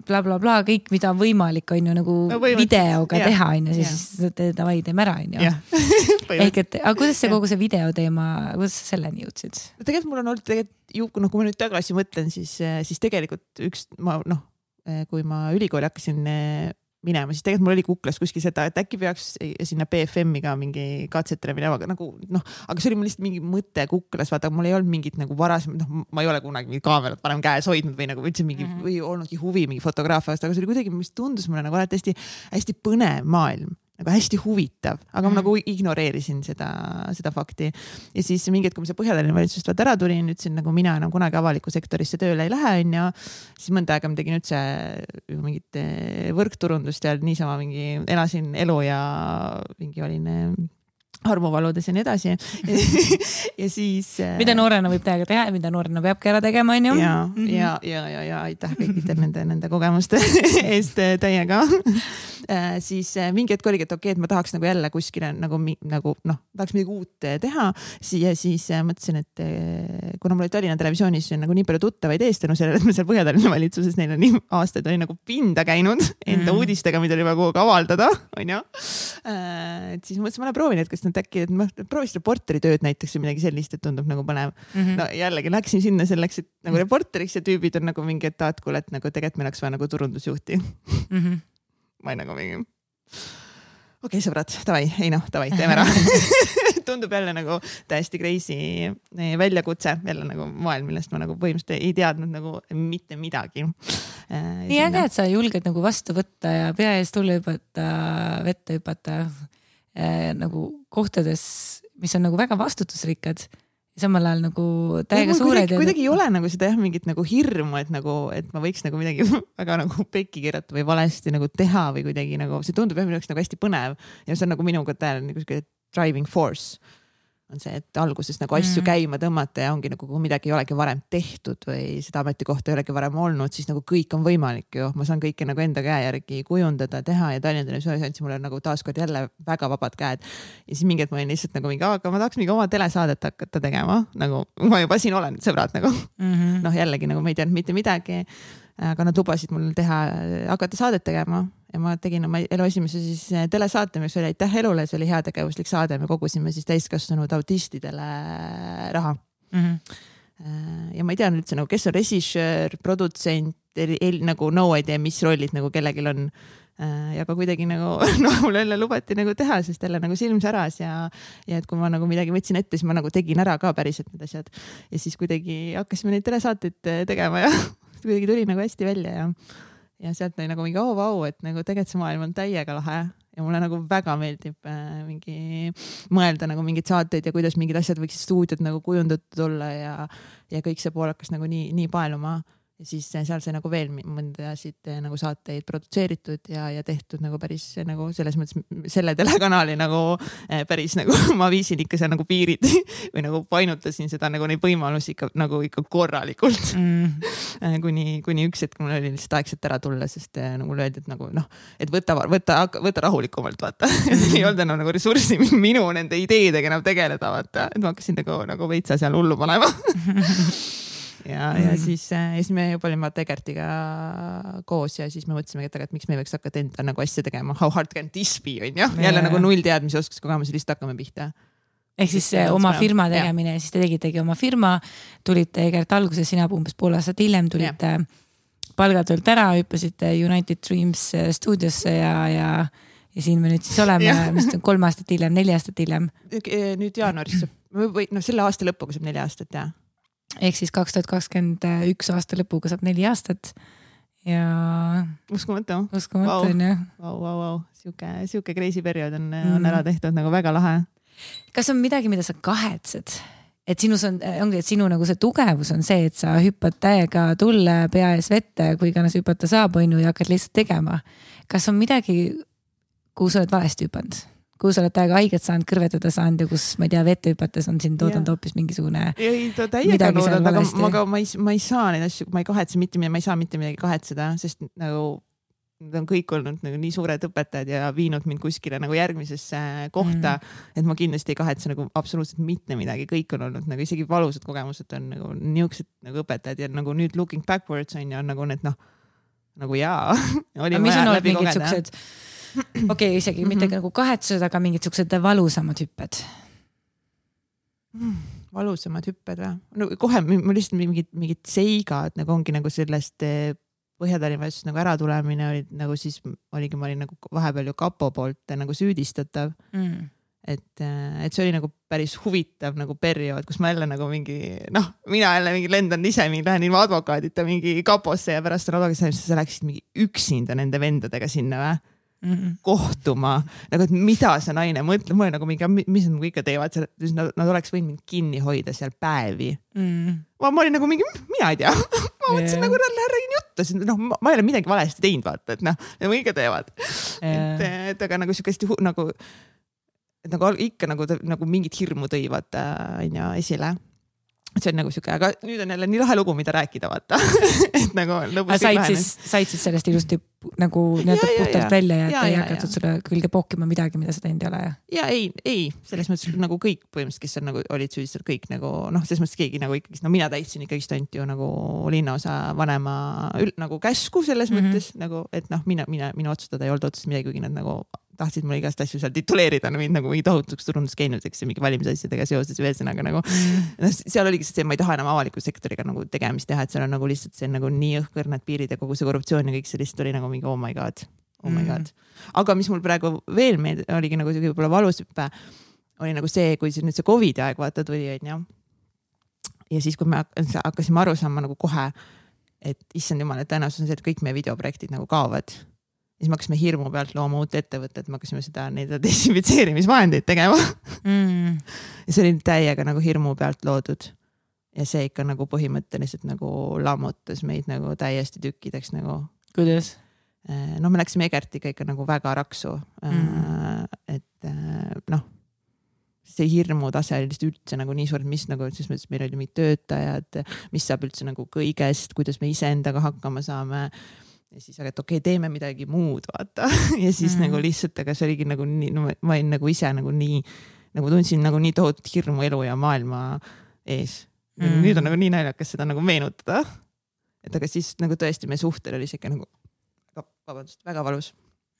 bla, bla, bla, kõik, mida on võimalik, on ju, nagu no, videoga ja. Teha, on ju, siis te davai teeme ära, on ju. Ehk et, aga kuidas see kogu see videoteema, kuidas sa selleni jõudsid? Tegelikult mul on olnud tegelikult ju, no, kui ma nüüd tagasi mõtlen, siis, siis tegelikult üks, ma noh, kui ma ülikooli hakkasin minema, siis tegelikult mul oli kuklas kuskil seda, et äkki peaks sinna B F M-iga mingi katsetele minema, aga nagu noh, aga see oli mul lihtsalt mingi mõte kuklas, vaata, mul ei olnud mingit nagu varasem, noh, ma ei ole kunagi mingi kaamerat varem käes hoidnud või nagu üldse mingi mm -hmm. või olnudki huvi mingi fotograafia vastu, aga see oli kuidagi, mis tundus mulle nagu alati hästi, hästi põnev maailm, nagu hästi huvitav, aga mm. ma nagu ignoreerisin seda, seda fakti. Ja siis mingi hetk, kui ma see Põhja-Tallinna valitsusest vaat ära tulin, ütlesin nagu mina enam kunagi avalikku sektorisse tööle ei lähe, on ja siis mõnda aega ma tegin üldse mingit võrkturundust ja niisama mingi elasin elu ja mingi olin armuvaludes ja nii edasi. ja siis... Mida noorena võib täiega teha ja mida noorena peabki ära tegema, on ju? Ja, mm -hmm. ja, ja, ja, ja aitäh kõikidel nende, nende kogemuste eest täiega. Siis mingi hetk oligi, et okei, et ma tahaks nagu jälle kuskile nagu, nagu noh, tahaks midagi uut teha. Ja siis mõtlesin, et kuna mul oli Tallinna Televisioonis nagu nii palju tuttavaid eest, no sellele, et ma seal Põhja-Tallinna valitsuses neil on nii aastaid oli nagu pinda käinud enda mm -hmm. uudistega, mida oli vaja kogu aeg avaldada, on ju. Et siis mõtlesin, ma proovin, et kas nad äkki, et ma proovisin reporteritööd näiteks või midagi sellist, et tundub nagu põnev. Mm -hmm. No jällegi läksin sinna selleks, et nagu reporteriks ja tüübid on nagu mingi, et aad, kuule, et nagu tegelikult meil oleks vaja nagu turundusjuhti. Mm -hmm. ma ei nagu mingi, okei okay, sõbrad, davai, ei noh, davai, teeme ära. Tundub jälle nagu täiesti crazy väljakutse, jälle nagu maailm, millest ma nagu põhimõtteliselt ei teadnud nagu mitte midagi. Nii äge, et sa julged nagu vastu võtta ja pea ees tulla hüpata, vette hüpata äh, nagu kohtades, mis on nagu väga vastutusrikkad. Samal ajal nagu täiega suured. Kuidagi, kuidagi ei ole nagu seda jah, mingit nagu hirmu, et nagu, et ma võiks nagu midagi väga nagu pekki keerata või valesti nagu teha või kuidagi nagu, see tundub jah, minu jaoks nagu hästi põnev ja see on nagu minuga tähele nagu driving force on see, et alguses nagu asju mm. käima tõmmata ja ongi nagu, kui midagi ei olegi varem tehtud või seda ametikohta ei olegi varem olnud, siis nagu kõik on võimalik ju. Ma saan kõike nagu enda käe järgi kujundada, teha ja Tallinna Televisioonis andsi mulle nagu taaskord jälle väga vabad käed. Ja siis mingi, et ma olin lihtsalt nagu mingi, aga ma tahaks mingi oma telesaadet hakata tegema. Nagu ma juba siin olen, sõbrad nagu. Mm -hmm. Noh, jällegi nagu ma ei teadnud mitte midagi, aga nad lubasid mul teha, hakata saadet tegema. Ja ma tegin oma elu esimese siis telesaate, mis oli Aitäh elule, see oli heategevuslik saade. Me kogusime siis täiskasvanud autistidele raha. Mm -hmm. Ja ma ei tea üldse nagu, kes on režissöör, produtsent, nagu no idea, mis rollid nagu kellegil on. Ja ka kuidagi nagu, no mul jälle lubati nagu teha, sest jälle nagu silm säras ja, ja et kui ma nagu midagi võtsin ette, siis ma nagu tegin ära ka päriselt need asjad. Ja siis kuidagi hakkasime neid telesaateid tegema ja kuidagi tuli nagu hästi välja ja ja sealt oli nagu mingi oo, vau, et nagu tegelikult see maailm on täiega lahe ja mulle nagu väga meeldib äh, mingi mõelda nagu mingid saateid ja kuidas mingid asjad võiksid stuudiod nagu kujundatud olla ja, ja kõik see pool hakkas nagu nii, nii paeluma. Ja siis seal sai nagu veel mõndasid nagu saateid produtseeritud ja, ja tehtud nagu päris nagu selles mõttes selle telekanali nagu päris nagu ma viisin ikka seal nagu piirid või nagu painutasin seda nagu neid võimalusi ikka nagu ikka korralikult mm. kuni, kuni üks hetk mul oli lihtsalt aegselt ära tulla, sest nagu mulle öeldi, et nagu noh, et võta, võta, võta rahulikumalt, vaata. Mm. ei olnud enam nagu ressurssi minu nende ideedega enam tegeleda, vaata. Et ma hakkasin nagu, nagu veitsa seal hullu panema. Ja, ja mm. siis, siis me juba olime Tegertiga koos ja siis me mõtlesime, et, et miks me võiks hakata enda nagu asja tegema. How hard can this be, on jah? Jälle nagu null teadmise oskus kogemusi lihtsalt hakkame pihta. Ehk siis see oma firma tegemine ja siis te tegitegi oma firma, tulite Egert alguses, sina umbes pool aastat hiljem tulite ja. Palgatöölt ära, hüppasite United Dreams stuudiosse ja, ja, ja siin me nüüd siis oleme, mis on kolm aastat hiljem, neli aastat hiljem. Nüüd jaanuaris või no selle aasta lõpuga saab neli aastat, jah. Ehk siis kaks tuhat kakskümmend üks aasta lõpuga saab neli aastat ja uskumatu, uskumatu wow. on jah. Vau, vau, vau, siuke, siuke crazy periood on, mm. on ära tehtud nagu väga lahe. Kas on midagi, mida sa kahetsed? Et sinus on, ongi, et sinu nagu see tugevus on see, et sa hüppad täiega tulle pea ees vette, kui iganes hüpata saab, on ju, ja hakkad lihtsalt tegema. Kas on midagi, kuhu sa oled valesti hüpanud? Kuhu sa oled täiega haiget saanud, kõrvetada saanud ja kus, ma ei tea, vette hüpates on siin toodanud hoopis mingisugune ei, ta täiega toodanud, aga ma, ka, ma, ei, ma ei saa neid asju, ma ei kahetse mitte midagi, ma ei saa mitte midagi kahetseda, sest nagu nad on kõik olnud nagu nii suured õpetajad ja viinud mind kuskile nagu järgmisesse kohta, mm. et ma kindlasti ei kahetse nagu absoluutselt mitte midagi, kõik on olnud nagu isegi valusad kogemused on nagu niisugused nagu õpetajad ja nagu nüüd looking backwards on ja nagu need noh, nagu jaa. Oli mis on olnud mingid suksed okei okay,, isegi mm-hmm. mitte nagu kahetsused, aga mingid suksed valusamad hüpped mm,. Valusamad hüpped või? No kohe mul lihtsalt mingid, mingid seigad nagu ongi nagu sellest Põhja-Tallinna valitsus nagu ära tulemine oli nagu siis oligi, ma olin nagu vahepeal ju kapo poolt nagu süüdistatav mm. et, et see oli nagu päris huvitav nagu periood, kus ma jälle nagu mingi noh, mina jälle mingi lendan ise mingi, lähen ilma advokaadita mingi kaposse ja pärast on advokaadis, sa läksid mingi üksinda nende vendadega sinna või mm -mm. kohtuma, nagu et mida see naine mõtleb, ma olen nagu mingi, mis nad ikka teevad seal, nad, nad oleks võinud mind kinni hoida seal päevi mm. ma, ma olin nagu mingi, mina ei tea ma mõtlesin yeah. nagu, et räägin juttu, sest noh, ma ei ole midagi valesti teinud, vaata, et noh, nagu ikka teevad yeah. et, et aga nagu siukest nagu et nagu ikka nagu, nagu mingit hirmu tõi, vaata, on ju, esile. See on nagu siuke, aga nüüd on jälle nii lahe lugu, mida rääkida, vaata. et nagu lõpus said siis, said siis sellest ilusti nagu nii-öelda puhtalt ja, välja ja, ja ei hakatud sulle külge pookima midagi, mida sa teinud ei ole. Ja ei, ei, selles mõttes nagu kõik põhimõtteliselt, kes on nagu olid süüdistud, kõik nagu noh, selles mõttes keegi nagu ikkagi, no mina täitsin ikkagi ainult ju nagu linnaosa vanema nagu käsku selles mm -hmm. mõttes nagu, et noh, mina, mina, minu otsustada ei olnud otsustada midagi, kuigi nad nagu tahtsid mulle igast asju seal tituleerida, no, nagu mingi tohutuks turunduskäinudeks ja mingi valimisasjadega seoses ühesõnaga nagu no, seal oligi see, ma ei taha enam avaliku sektoriga nagu tegemist teha, et seal on nagu lihtsalt see nagu nii õhkõrnad piirid ja kogu see korruptsioon ja kõik see lihtsalt oli nagu mingi oh my god, oh my god. Aga mis mul praegu veel meeld, oligi nagu see võib-olla valusüppe, oli nagu see, kui see nüüd see Covidi aeg vaata tuli, on ju. Ja siis, kui me hakkasime aru saama nagu kohe, et issand jumal, et tõenäosus on see, et kõik meie videoprojektid nagu kaovad. Ja siis me hakkasime hirmu pealt looma uut ettevõtet, me hakkasime seda neid desinfitseerimisvahendeid tegema. Mm. Ja see oli täiega nagu hirmu pealt loodud. Ja see ikka nagu põhimõtteliselt nagu lammutas meid nagu täiesti tükkideks nagu. Kuidas? No me läksime Egertiga ikka nagu väga raksu. Mm. Et noh, see hirmu tase oli lihtsalt üldse nagu nii suur, mis nagu, siis mõttes meil oli mingid töötajad, mis saab üldse nagu kõigest, kuidas me iseendaga hakkama saame. Ja siis, aga et okei, okay, teeme midagi muud, vaata. Ja siis mm. nagu lihtsalt, aga see oligi nagu nii, no ma olin nagu ise nagu nii, nagu tundsin nagu nii tohutut hirmu elu ja maailma ees. Mm. Nüüd on nagu nii naljakas seda nagu meenutada. Et aga siis nagu tõesti meie suhtel oli siuke nagu, vabandust, väga valus.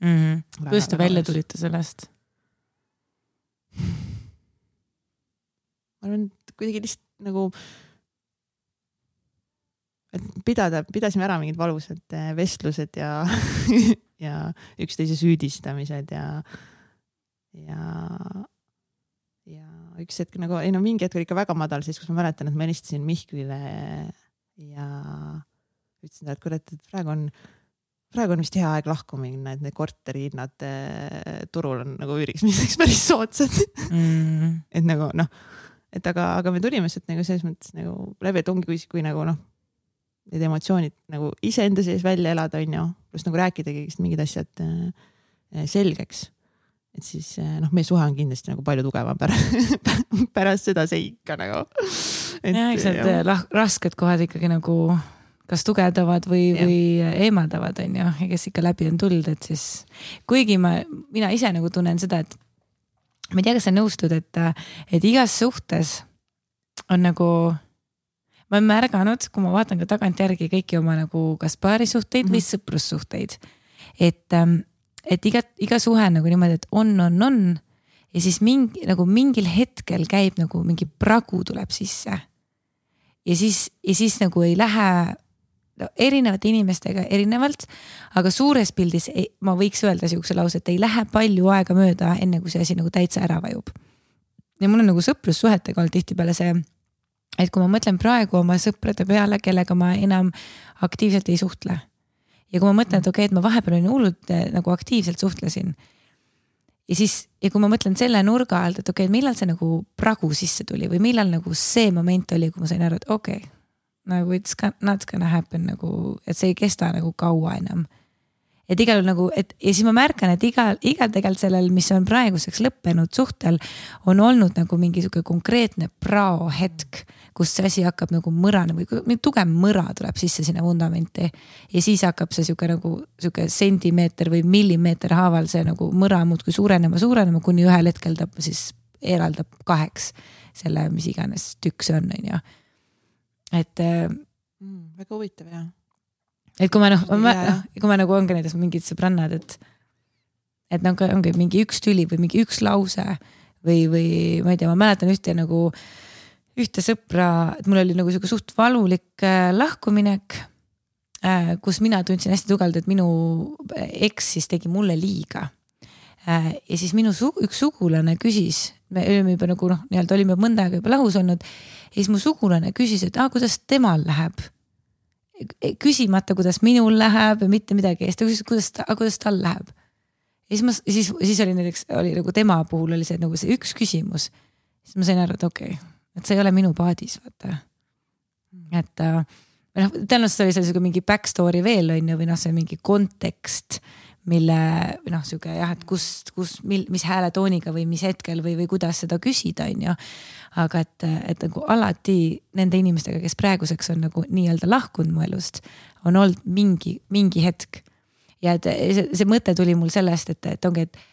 Mm. Kuidas te välja tulite sellest? Ma arvan, et kuidagi lihtsalt nagu et pidada, pidasime ära mingid valusad vestlused ja, ja üksteise süüdistamised ja, ja, ja üks hetk nagu, ei no mingi hetk oli ikka väga madal, siis kus ma mäletan, et ma helistasin Mihklile ja ütlesin ta, et kuule, et praegu on, praegu on vist hea aeg lahku minna, et need korterihinnad turul on nagu üüriksmiseks päris soodsad. Mm. et nagu noh, et aga, aga me tulime sealt nagu selles mõttes nagu läbi, et ongi kui, kui nagu noh, need emotsioonid nagu ise enda sees välja elada, on ju, pluss nagu rääkida kõigist mingid asjad selgeks. Et siis noh, meie suhe on kindlasti nagu palju tugevam pärast, pärast seda seika nagu. Et, ja, eks need rasked kohad ikkagi nagu kas tugevdavad või, või eemaldavad, on ju, ja kes ikka läbi on tulnud, et siis kuigi ma, mina ise nagu tunnen seda, et ma ei tea, kas sa nõustud, et, et igas suhtes on nagu ma olen märganud, kui ma vaatan ka tagant järgi kõiki oma nagu kas paarisuhteid mm -hmm. või sõprussuhteid, et, et iga, iga suhe nagu niimoodi, et on, on, on ja siis mingi, nagu mingil hetkel käib nagu mingi pragu tuleb sisse ja siis, ja siis nagu ei lähe no, erinevate inimestega erinevalt, aga suures pildis ei, ma võiks öelda siukse lause, et ei lähe palju aega mööda, enne kui see asi nagu täitsa ära vajub. Ja mul on nagu sõprussuhetega olnud tihtipeale see et kui ma mõtlen praegu oma sõprade peale, kellega ma enam aktiivselt ei suhtle. Ja kui ma mõtlen, et okei, okay, et ma vahepeal olin hullult nagu aktiivselt suhtlesin. Ja siis, ja kui ma mõtlen selle nurga alt, et okei, okay, millal see nagu pragu sisse tuli või millal nagu see moment oli, kui ma sain aru, et okei, okay, nagu it's not gonna happen nagu, et see ei kesta nagu kaua enam. Et igal nagu, et ja siis ma märkan, et igal, igal tegelikult sellel, mis on praeguseks lõppenud suhtel, on olnud nagu mingi suke konkreetne prao hetk, kus see asi hakkab nagu mõrana või tugev mõra tuleb sisse sinna vundamenti. Ja siis hakkab see suke nagu suke sentimeeter või millimeeter haaval see nagu mõra muudkui suurenema, suurenema, kuni ühel hetkel ta siis eraldab kaheks selle, mis iganes tükk see on, on ju. Et mm, väga huvitav, jah. Et kui ma noh, kui ma nagu ongi näiteks mingid sõbrannad, et et nagu ongi mingi üks tüli või mingi üks lause või, või ma ei tea, ma mäletan ühte nagu ühte sõpra, et mul oli nagu suht valulik lahkuminek kus mina tundsin hästi tugevalt, et minu eks siis tegi mulle liiga. Ja siis minu su- üks sugulane küsis, me olime juba nagu noh, nii-öelda olime mõnda aega juba lahus olnud, ja siis mu sugulane küsis, et ah, kuidas temal läheb. Küsimata, kuidas minul läheb ja mitte midagi, ja siis ta küsis, kuidas, ta, kuidas tal läheb. Ja siis, ma, siis, siis oli näiteks, oli nagu tema puhul oli see nagu see üks küsimus. Siis ma sain aru, et okei, okay, et see ei ole minu paadis, vaata. Et noh, tõenäoliselt oli seal mingi backstory veel on ju, või noh, see mingi kontekst, mille või noh, siuke jah, et kus, kus, mil, mis hääletooniga või mis hetkel või, või kuidas seda küsida on ju. Aga et, et nagu alati nende inimestega, kes praeguseks on nagu nii-öelda lahkunud mu elust, on olnud mingi, mingi hetk. Ja et see, see mõte tuli mul sellest, et, et ongi, et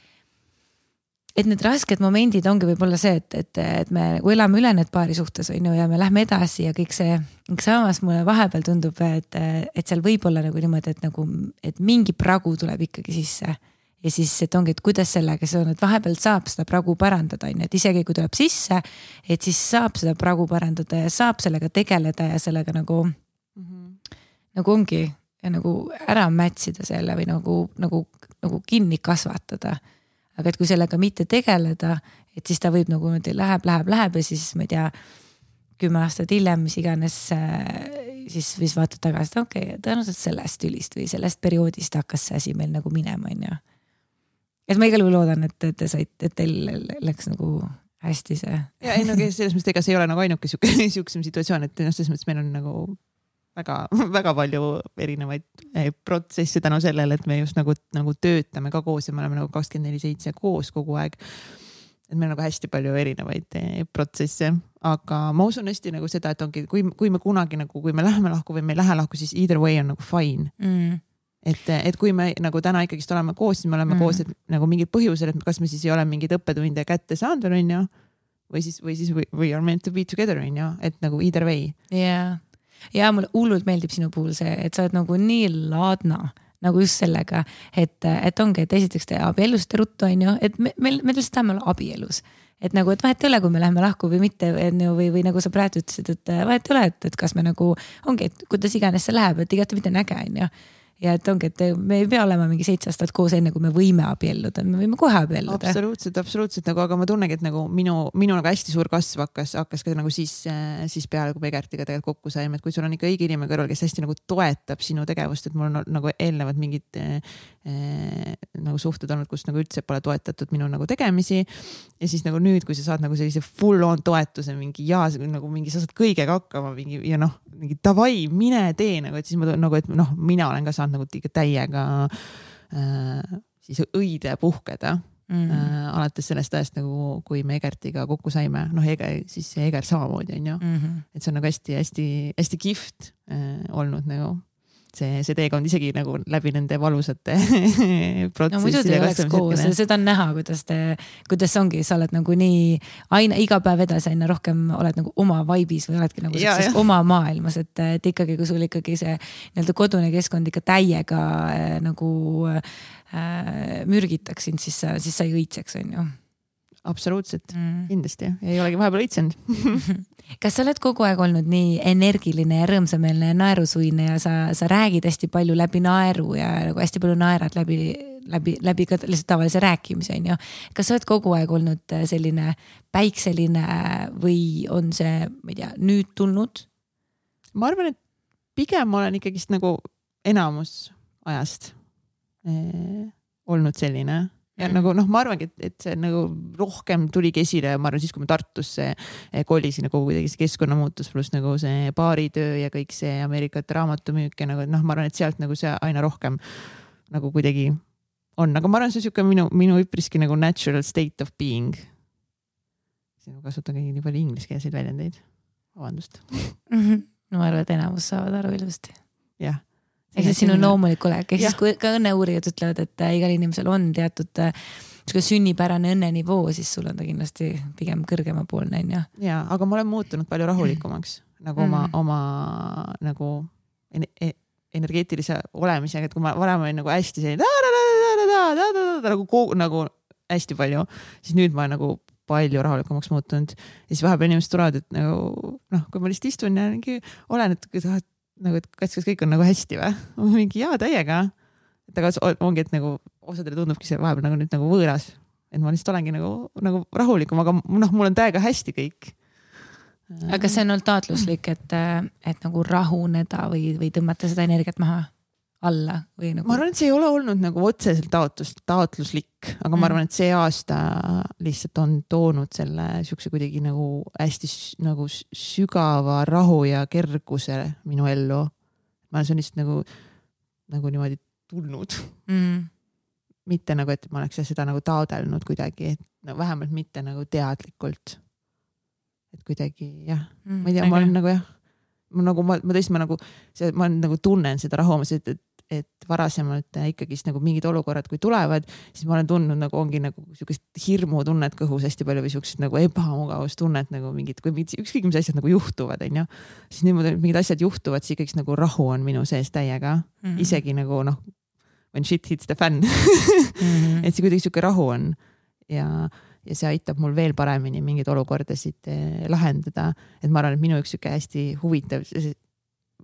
et need rasked momendid ongi võib-olla see, et, et, et me nagu elame üle need paari suhtes on ju, ja me lähme edasi ja kõik see, samas mulle vahepeal tundub, et, et seal võib olla nagu niimoodi, et nagu, et mingi pragu tuleb ikkagi sisse ja siis, et ongi, et kuidas sellega see on, et vahepeal saab seda pragu parandada, on ju, et isegi kui tuleb sisse, et siis saab seda pragu parandada ja saab sellega tegeleda ja sellega nagu mm-hmm. nagu ongi ja nagu ära mätsida selle või nagu, nagu, nagu kinni kasvatada. Aga et kui sellega mitte tegeleda, et siis ta võib nagu läheb, läheb, läheb ja siis ma ei tea, kümme aastat hiljem, mis iganes, siis võis vaata tagasi, et okei, okay, tõenäoliselt sellest tülist või sellest perioodist hakkas see asi meil nagu minema, on ju. Et ma igal juhul loodan, et te said, et teil läks nagu hästi see. Ja ei, no selles mõttes, ega see ei ole nagu ainuke siuksem situatsioon, et selles mõttes meil on nagu väga, väga palju erinevaid protsesse tänu sellele, et me just nagu, nagu töötame ka koos ja me oleme nagu kakskümmend neli seitse koos kogu aeg. Et meil on nagu hästi palju erinevaid protsesse, aga ma usun hästi nagu seda, et ongi, kui, kui me kunagi nagu, kui me läheme lahku või me ei lähe lahku, siis either way on nagu fine. Mm. Et, et kui me nagu täna ikkagist oleme koos, siis me oleme mm. koos, et nagu mingil põhjusel, et kas me siis ei ole mingid õppetunde kätte saanud või on ju, või siis, või siis we are meant to be together on ju, et nagu either way. Yeah. Ja mulle hullult meeldib sinu puhul see, et sa oled nagu nii laadna, nagu just sellega, et, et ongi, et esiteks te abielust ruttu on ju, et me, me, me lihtsalt tahame olla abielus. Et nagu, et vahet ei ole, kui me läheme lahku või mitte või, või nagu sa praegu ütlesid, et vahet ei ole, et, et kas me nagu ongi, et kuidas iganes see läheb, et igati mitte näge on ju. Ja et ongi, et me ei pea olema mingi seitse aastat koos enne, kui me võime abielluda, me võime kohe abielluda. Absoluutselt, absoluutselt nagu, aga ma tunnegi, et nagu minu, minu nagu hästi suur kasv hakkas, hakkas ka nagu siis, siis peale, kui Egertiga tegelikult kokku saime, et kui sul on ikka õige inimene kõrval, kes hästi nagu toetab sinu tegevust, et mul on nagu eelnevad mingid eh, nagu suhted olnud, kus nagu üldse pole toetatud minu nagu tegemisi. Ja siis nagu nüüd, kui sa saad nagu sellise full on toetuse, mingi ja nagu mingi sa saad kõigega hakkama mingi, ja noh, mingi davai, mine tee nagu, et siis ma nagu, et noh, mina olen ka saanud nagu täiega äh, siis õide puhkeda mm. äh, alates sellest ajast nagu, kui me Egertiga kokku saime, noh Eger, siis Eger samamoodi on ju mm, -hmm. et see on nagu hästi, hästi, hästi kihvt äh, olnud nagu see, see teekond isegi nagu läbi nende valusate protsessi. No muidu te ei oleks koos, seda on näha, kuidas te, kuidas ongi, sa oled nagu nii aina iga päev edasi aina rohkem oled nagu oma vaibis või oledki nagu ja, ja. oma maailmas, et, et ikkagi, kui sul ikkagi see nii-öelda kodune keskkond ikka täiega äh, nagu äh, mürgitaks sind, siis sa, siis sa ei õitseks, on ju. Absoluutselt, mm. kindlasti. Ei olegi vahepeal õitsenud. Kas sa oled kogu aeg olnud nii energiline ja rõõmsameelne ja naerusuine ja sa, sa räägid hästi palju läbi naeru ja nagu hästi palju naerad läbi, läbi, läbi ka lihtsalt tavalise rääkimise, on ju. Kas sa oled kogu aeg olnud selline päikseline või on see, ma ei tea, nüüd tulnud? Ma arvan, et pigem olen ikkagist nagu enamus ajast eh, olnud selline. Ja mm. nagu noh, ma arvangi, et, et see nagu rohkem tuligi esile, ma arvan siis, kui ma Tartusse kolisin nagu kuidagi see keskkonna muutus pluss nagu see baaritöö ja kõik see Ameerikate raamatumüük ja nagu noh, ma arvan, et sealt nagu see aina rohkem nagu kuidagi on, aga ma arvan, see on siuke minu, minu üpriski nagu natural state of being. Siin kasutan kõige nii palju ingliskeelseid väljendeid. Vabandust. Mm-hmm. No ma arvan, et enamus saavad aru ilusti. Jah. Ehk siis sinu loomulik olek, ehk siis kui ka õnneuurijad ütlevad, et igal inimesel on teatud sünnipärane õnnenivoo, siis sul on ta kindlasti pigem kõrgema poolne, on ju. Ja, aga ma olen muutunud palju rahulikumaks nagu oma, mm. oma nagu energeetilise olemisega, et kui ma varem olin nagu hästi selline nagu, nagu hästi palju, siis nüüd ma olen nagu palju rahulikumaks muutunud. Ja siis vahepeal inimesed tulevad, et nagu, noh, kui ma lihtsalt istun ja olen, et nagu, et kas, kas kõik on nagu hästi või? Mingi jaa täiega. Et aga ongi, et nagu osadele tundubki see vahepeal nagu nüüd nagu võõras. Et ma lihtsalt olengi nagu, nagu rahulikum, aga noh, mul on täiega hästi kõik. Aga see on olnud taotluslik, et, et nagu rahuneda või, või tõmmata seda energiat maha alla või nagu... Ma arvan, et see ei ole olnud nagu otseselt taotlus, taotluslik, aga mm. ma arvan, et see aasta lihtsalt on toonud selle siukse kuidagi nagu hästi nagu sügava rahu ja kerguse minu ellu. Ma olen lihtsalt nagu, nagu niimoodi tulnud. Mm. Mitte nagu, et ma oleks seda nagu taodelnud kuidagi, et no, vähemalt mitte nagu teadlikult. Et kuidagi, jah, mm, ma ei tea, ma olen nagu jah, ma nagu, ma, ma tõesti, ma nagu, see, ma nagu tunnen seda rahu, et, et, et varasemalt ikkagi nagu mingid olukorrad, kui tulevad, siis ma olen tundnud nagu ongi nagu siukest hirmu tunnet kõhus hästi palju või siukest nagu ebamugavus tunnet nagu mingid, kui mingid, ükskõik mis asjad nagu juhtuvad, on ju, siis niimoodi mingid asjad juhtuvad, siis ikkagi nagu rahu on minu sees täiega, mm-hmm. isegi nagu noh, when shit hits the fan mm-hmm. et see kuidagi siuke rahu on ja, ja see aitab mul veel paremini mingeid olukordasid eh, lahendada, et ma arvan, et minu üks siuke hästi huvitav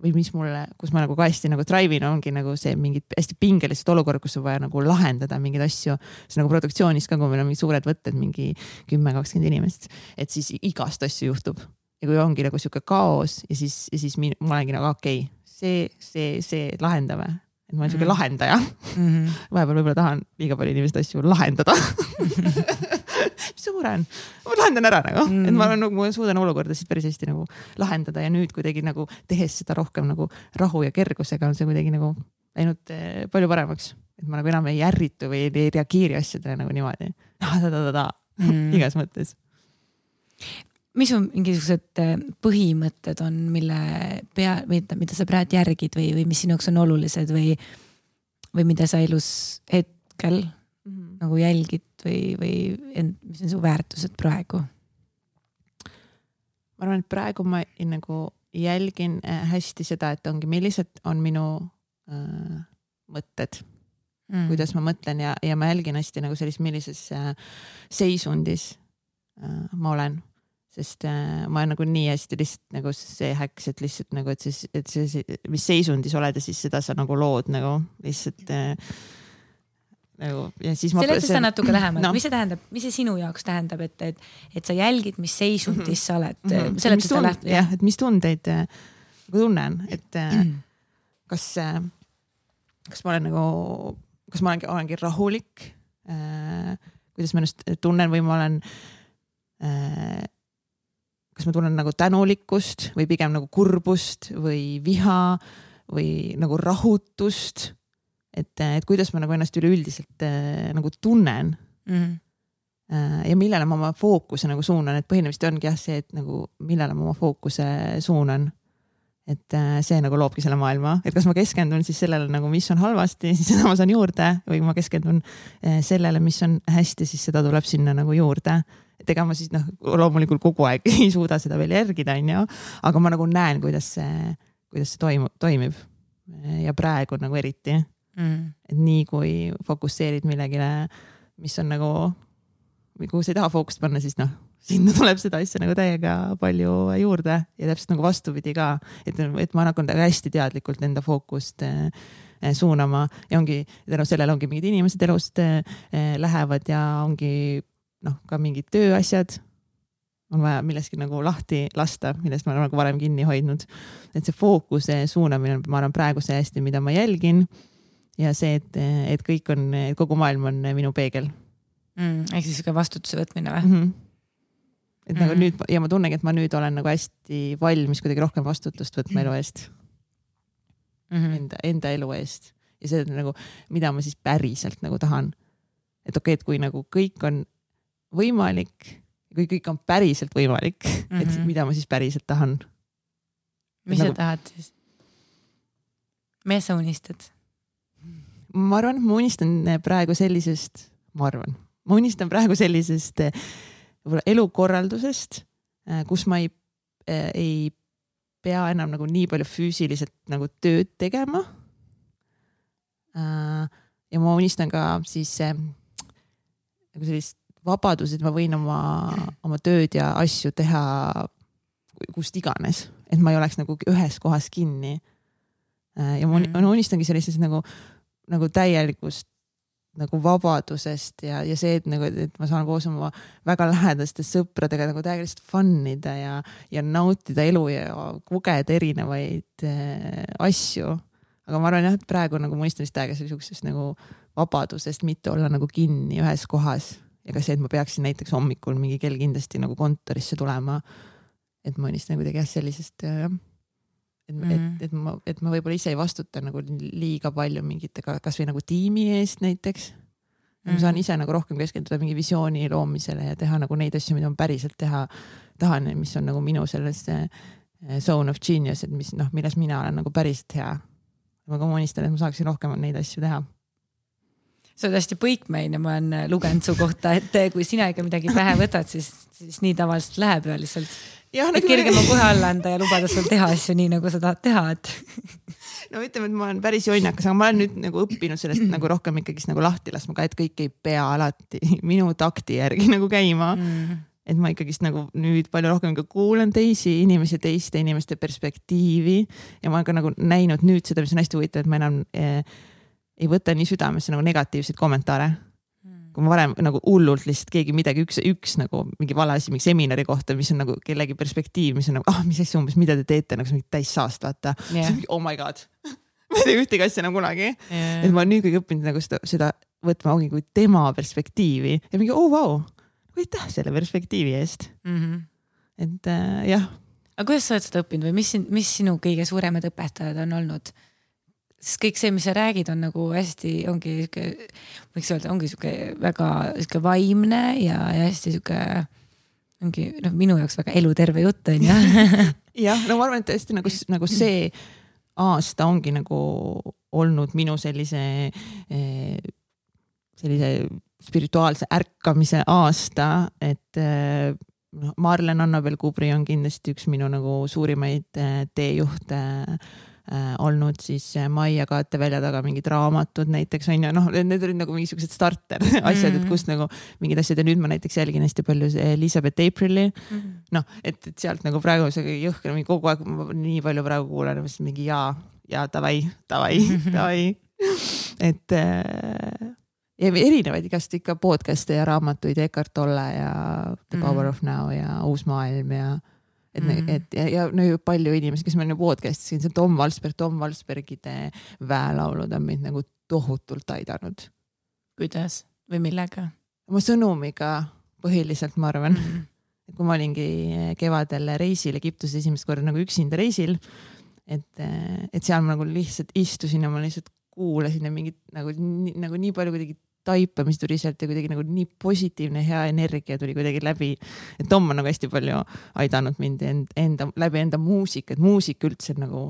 või mis mulle, kus ma nagu ka hästi nagu drive'in ongi nagu see mingid hästi pingelised olukorrad, kus on vaja nagu lahendada mingeid asju, see nagu produktsioonis ka, kui meil on mingi suured võtted, mingi kümme kakskümmend inimest, et siis igast asju juhtub ja kui ongi nagu siuke kaos ja siis, ja siis min, ma olengi nagu okei, okay, see, see, see lahendame. Et ma olen siuke mm. lahendaja. Mm-hmm. Vahepeal võib-olla tahan liiga palju inimest asju lahendada. Mis see mure on? Ma lahendan ära nagu. Mm. Et ma, nagu, ma suudan olukordasid päris hästi nagu lahendada ja nüüd kuidagi nagu tehes seda rohkem nagu rahu ja kergusega on see kuidagi nagu läinud eh, palju paremaks. Et ma nagu enam ei ärritu või ei reageeri asjadele nagu niimoodi. Mm. Igas mõttes. Mis on mingisugused põhimõtted on, mille pea, mida, mida sa praegu järgid või, või mis sinuks on olulised või, või mida sa elus hetkel mm-hmm. nagu jälgid või, või end, mis on su väärtused praegu? Ma arvan, et praegu ma nagu jälgin hästi seda, et ongi, millised on minu äh, mõtted, mm. kuidas ma mõtlen ja, ja ma jälgin hästi nagu sellist, millises äh, seisundis äh, ma olen. Sest äh, ma olen nagu nii hästi lihtsalt nagu see häks, et lihtsalt nagu, et siis, et see, mis seisundis oled ja siis seda sa nagu lood nagu lihtsalt äh, nagu ja siis ma... Seleta seda natuke lähemalt, no. mis see tähendab, mis see sinu jaoks tähendab, et, et, et sa jälgid, mis seisundis mm-hmm. sa oled mm-hmm. seleta seda läht... jah, et mis tundeid äh, tunnen, et äh, kas äh, kas ma olen nagu kas ma olengi, olengi rahulik äh, kuidas ma ennast tunnen või ma olen äh, kas ma tunnen nagu tänulikkust või pigem nagu kurbust või viha või nagu rahutust, et, et kuidas ma nagu ennast üleüldiselt äh, nagu tunnen mm. äh, ja millele ma oma fookuse nagu suunan, et põhimõtteliselt ongi jah see, et nagu millele ma oma fookuse suunan, et äh, see nagu loobki selle maailma, et kas ma keskendun siis sellele nagu, mis on halvasti, siis seda ma saan juurde või ma keskendun äh, sellele, mis on hästi, siis seda tuleb sinna nagu juurde. Et ega ma siis noh, loomulikult kogu aeg ei suuda seda veel järgida, on ju, aga ma nagu näen, kuidas see, kuidas see toimu, toimib ja praegu nagu eriti, mm. et nii kui fokusseerid millegile, mis on nagu, kui sa ei taha fookust panna, siis noh, sinna tuleb seda asja nagu täiega palju juurde ja täpselt nagu vastupidi ka, et, et ma nagu hästi teadlikult enda fookust suunama ja ongi, tänu sellele ongi mingid inimesed elust lähevad ja ongi noh, ka mingid tööasjad on vaja milleski nagu lahti lasta, millest ma olen nagu varem kinni hoidnud. Et see fookuse suunamine, ma arvan praegu see hästi, mida ma jälgin ja see, et, et kõik on, kogu maailm on minu peegel. Mm, ehk siis ka vastutuse võtmine või? Mm-hmm. Et mm-hmm. nagu nüüd, ja ma tunnengi, et ma nüüd olen nagu hästi valmis kuidagi rohkem vastutust võtma elu eest. Mm-hmm. Enda, enda elu eest. Ja see on nagu, mida ma siis päriselt nagu tahan. Et okei, okay, et kui nagu kõik on võimalik, kui kõik on päriselt võimalik, mm-hmm. et mida ma siis päriselt tahan. Mis sa nagu... tahad siis? Mis sa unistad? Ma arvan, ma unistan praegu sellisest, ma arvan, ma unistan praegu sellisest elukorraldusest, kus ma ei, ei pea enam nagu nii palju füüsiliselt nagu tööd tegema. Ja ma unistan ka siis nagu sellist vabadus, et ma võin oma, oma tööd ja asju teha kust iganes, et ma ei oleks nagu ühes kohas kinni, ja ma mm. unistangi sellisest nagu, nagu täielikust nagu vabadusest ja, ja see, et nagu, et ma saan koos oma väga lähedaste sõpradega nagu täielikult funnida ja, ja nautida elu ja kogeda erinevaid äh, asju. Aga ma arvan jah, et praegu nagu ma unistan vist täiega sellisest nagu vabadusest, mitte olla nagu kinni ühes kohas. Ja ka see, et ma peaksin näiteks hommikul mingi kell kindlasti nagu kontorisse tulema. Et ma unistan kuidagi jah sellisest jah. Et, mm. et, et, ma, et ma võib-olla ise ei vastuta nagu liiga palju mingite, kas või nagu tiimi eest näiteks. Mm. Ma saan ise nagu rohkem keskenduda mingi visiooni loomisele ja teha nagu neid asju, mida ma päriselt teha tahan, mis on nagu minu selles zone of genius, et mis, noh, milles mina olen nagu päriselt hea. Ma ka unistan, et ma saaksin rohkem neid asju teha. See on hästi põikmein ja ma olen lugenud su kohta, et kui sina ikka midagi pähe võtad, siis, siis nii tavaliselt läheb ja lihtsalt ja, et kergem on kohe alla anda ja lubada sul teha asju nii, nagu sa tahad teha. Et... no ütleme, et ma olen päris jonnakas, aga ma olen nüüd nagu õppinud sellest nagu rohkem ikkagi nagu lahti laskma ka, et kõik ei pea alati minu takti järgi nagu käima. Mm. Et ma ikkagist nagu nüüd palju rohkem kuulan teisi inimesi, teiste inimeste perspektiivi ja ma olen ka nagu näinud nüüd seda, mis on hästi huvitav, et ma enam eh, ei võta nii südamesse nagu negatiivseid kommentaare. Kui ma varem nagu hullult lihtsalt keegi midagi, üks, üks nagu mingi valasi mingi seminari kohta, mis on nagu kellegi perspektiiv, mis on nagu, ah, mis asja umbes, mida te teete, nagu see mingi täis saast, vaata. Yeah. See on mingi, oh my god. ma ei tee ühtegi asja nagu kunagi. Yeah. Et ma nüüd kõik õppinud nagu seda, seda võtma ongi kui tema perspektiivi ja mingi, oh vau, wow, aitäh selle perspektiivi eest. Mm-hmm. Et äh, jah. Aga kuidas sa oled seda õppinud või mis, mis sinu kõige suuremad õpetajad on olnud? Sest kõik see, mis sa räägid, on nagu hästi, ongi siuke, võiks öelda, ongi siuke väga siuke vaimne ja, ja hästi siuke, ongi no, minu jaoks väga eluterve jutt on ja. jah, no ma arvan, et hästi nagu, nagu see aasta ongi nagu olnud minu sellise, sellise spirituaalse ärkamise aasta, et no, Marlen Annabel Kubri on kindlasti üks minu nagu suurimaid teejuhte Äh, olnud siis Maia Kaate välja taga mingid raamatud näiteks on ja noh, need olid nagu mingisugused starter asjad, et kus nagu mingid asjad ja nüüd ma näiteks jälgin hästi palju Elizabeth Aprili mm. noh, et, et sealt nagu praegu see jõhker kogu aeg nii palju praegu kuulen mingi jaa, jaa, tavai, tavai, tavai et äh, ja erinevaid igast ikka podcast'e ja raamatuid Eckhart Tolle ja The Power mm. of Now ja Uus maailm ja et, mm. et ja, ja no palju inimesi, kes meil on podcast'is, see Tom Valsberg, Tom Valsbergide väelaulud on meid nagu tohutult aidanud. Kuidas? Või millega? Oma sõnumiga põhiliselt, ma arvan. Mm. Et kui ma olingi kevadel reisil Egiptuses esimest korda nagu üksinda reisil, et, et seal ma nagu lihtsalt istusin ja ma lihtsalt kuulasin ja mingid nagu, nagu nii palju kuidagi taipa, mis tuli sealt ja kuidagi nagu nii positiivne hea energia tuli kuidagi läbi. Et Tom on nagu hästi palju aidanud mind enda, enda, läbi enda muusika, et muusika üldse nagu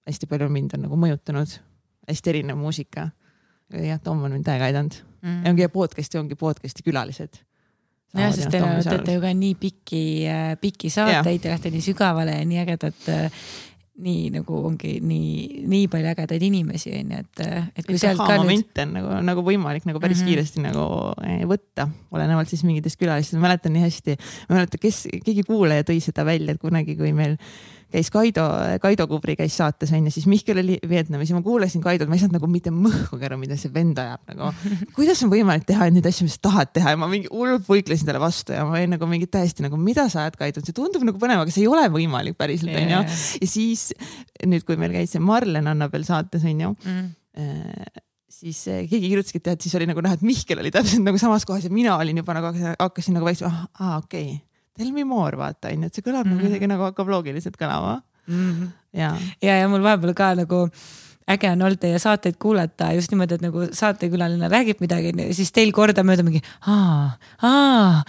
hästi palju mind on nagu mõjutanud. Hästi erinev muusika. Ja Tom on mind täiega aidanud. Mm. Ja ongi podcasti, ongi podcasti külalised. Ja, sest teile teete ju ka nii pikki, pikki saateid ja lähte nii sügavale ja nii ägedat nii nagu ongi nii, nii palju ägedaid inimesi, et, et kui sealt ka nüüd... on nagu, nagu võimalik nagu päris mm-hmm. kiiresti nagu võtta, olenevalt siis mingitest külalistest. Ma mäletan nii hästi, ma mäletan, kes, keegi kuulaja tõi seda välja, et kunagi, kui meil käis Kaido, Kaido Kubri käis saates on ja siis Mihkel oli Vietnamis ja ma kuulasin Kaidot, ma ei saanud nagu mitte mõhku kära, mida see vend ajab nagu. Kuidas on võimalik teha neid asju, mis tahad teha ja ma mingi hullult võiklesin talle vastu ja ma olin nagu mingi täiesti nagu, mida sa ajad Kaidot, see tundub nagu põnev, aga see ei ole võimalik päriselt yeah. on ju. Ja siis nüüd, kui meil käis see Marlen Annabel saates on ju, mm. äh, siis keegi kirjutaski, et siis oli nagu näha, et Mihkel oli täpselt nagu samas kohas ja mina olin juba nagu hakkasin nagu väikse, ah, ah okei okay. Tell me more, vaata, et see kõlab mm. nagu kuidagi nagu hakkab loogiliselt kõlama. Mm. Ja. ja, ja mul vahepeal ka nagu äge on olnud teie saateid kuulata just niimoodi, et nagu saatekülaline räägib midagi, siis teil korda mööda mingi aa, aa,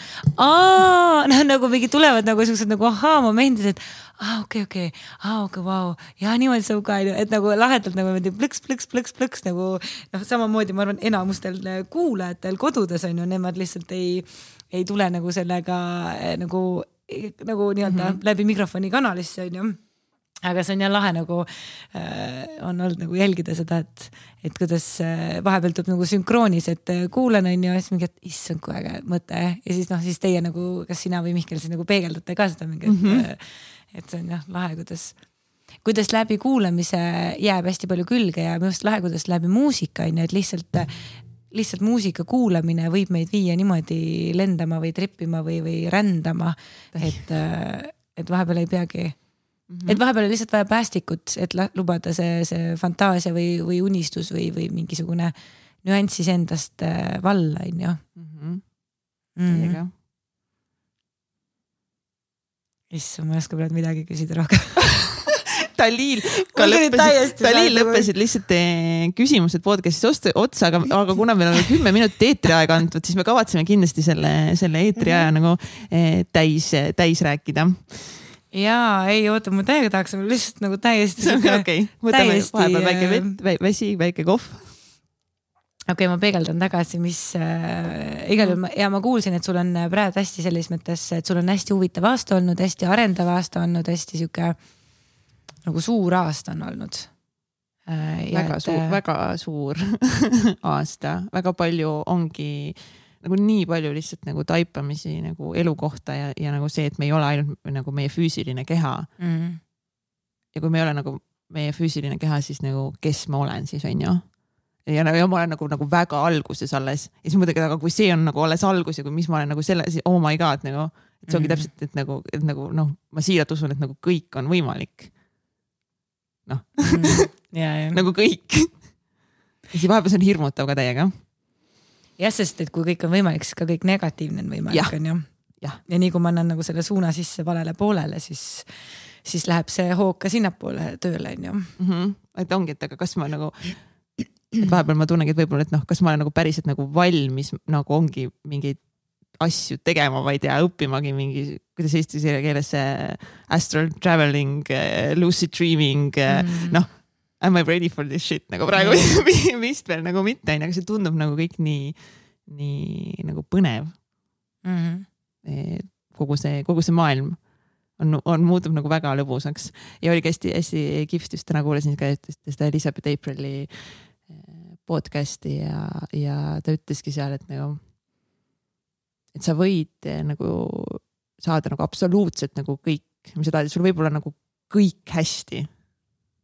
aa, no, nagu mingi tulevad nagu sellised nagu ahaa momendid, et aa, okei, okei, aa, okei, vau, ja niimoodi saab ka, et nagu lahedalt nagu plõks, plõks, plõks, plõks nagu noh, samamoodi ma arvan enamustel kuulajatel kodudes on ju, nemad lihtsalt ei ei tule nagu sellega nagu, nagu nii-öelda mm-hmm. läbi mikrofoni kanalisse on ju. Aga see on jah lahe nagu äh, on olnud nagu jälgida seda, et, et kuidas äh, vahepeal tuleb nagu sünkroonis, et äh, kuulen on ju, siis mingi, et issand kui äge mõte ja siis noh, siis teie nagu, kas sina või Mihkel siis nagu peegeldate ka seda mingi, et, mm-hmm. et see on jah lahe, kuidas kuidas läbi kuulamise jääb hästi palju külge ja minu arust lahe, kuidas läbi muusika on ju, et lihtsalt lihtsalt muusika kuulamine võib meid viia niimoodi lendama või trippima või, või rändama, et, et vahepeal ei peagi mm, -hmm. et vahepeal on lihtsalt vaja päästikut, et lubada see, see fantaasia või, või unistus või, või mingisugune nüanssis endast valla, on ju. Mm -hmm. Issand, ma ei oska praegu midagi küsida rohkem. Taliil ka lõppesid, Taliil lõppesid lihtsalt küsimused podcast'is otsa, aga, aga kuna meil on kümme minutit eetriaega antud, siis me kavatseme kindlasti selle, selle eetriaja mm -hmm. nagu täis, täis rääkida. Jaa, ei oota, ma täiega tahaks lihtsalt nagu täiesti okei okay., võtame täiesti, vahepeal väike vett, väsi, väike kohv. okei okay,, ma peegeldan tagasi, mis äh, igal juhul ja ma kuulsin, et sul on praegu hästi selles mõttes, et sul on hästi huvitav aasta olnud, hästi arendav aasta olnud, hästi siuke nagu suur aasta on olnud. Väga et, suur, väga suur aasta, väga palju ongi nagu nii palju lihtsalt nagu taipamisi nagu elu kohta ja, ja nagu see, et me ei ole ainult nagu meie füüsiline keha. Mm. Ja kui me ei ole nagu meie füüsiline keha, siis nagu kes ma olen siis on ju. Ja, ja ma olen nagu, nagu väga alguses alles. Ja siis mõtlen, aga kui see on nagu alles algus ja kui mis ma olen nagu selle, siis oh my god, nagu, et see ongi mm. täpselt, et nagu, et nagu noh, ma siiralt usun, et nagu kõik on võimalik. Noh, mm. ja, ja. nagu kõik. Ja siis vahepeal see on hirmutav ka täiega. Jah, sest et kui kõik on võimalik, siis ka kõik negatiivne on võimalik, on ju. Ja. ja nii kui ma annan nagu selle suuna sisse valele poolele, siis, siis läheb see hoog ka sinnapoole tööle, on ju. Mm -hmm. Et ongi, et aga kas ma nagu, et vahepeal ma tunnengi, et võib-olla, et noh, kas ma olen nagu päriselt nagu valmis, nagu ongi mingeid asju tegema, ma ei tea, õppimagi mingi, kuidas eesti keeles see astral traveling, lucid dreaming, mm. noh, am I ready for this shit, nagu praegu mm. vist veel nagu mitte, aga see tundub nagu kõik nii, nii nagu põnev. Mm -hmm. kogu see, kogu see maailm on, on muutub nagu väga lõbusaks ja oligi hästi, hästi kihvt just täna kuulasin ka seda Elizabeth Aprili podcasti ja, ja ta ütleski seal, et nagu et sa võid nagu saada nagu absoluutselt nagu kõik, mis sa tahad, sul võib olla nagu kõik hästi.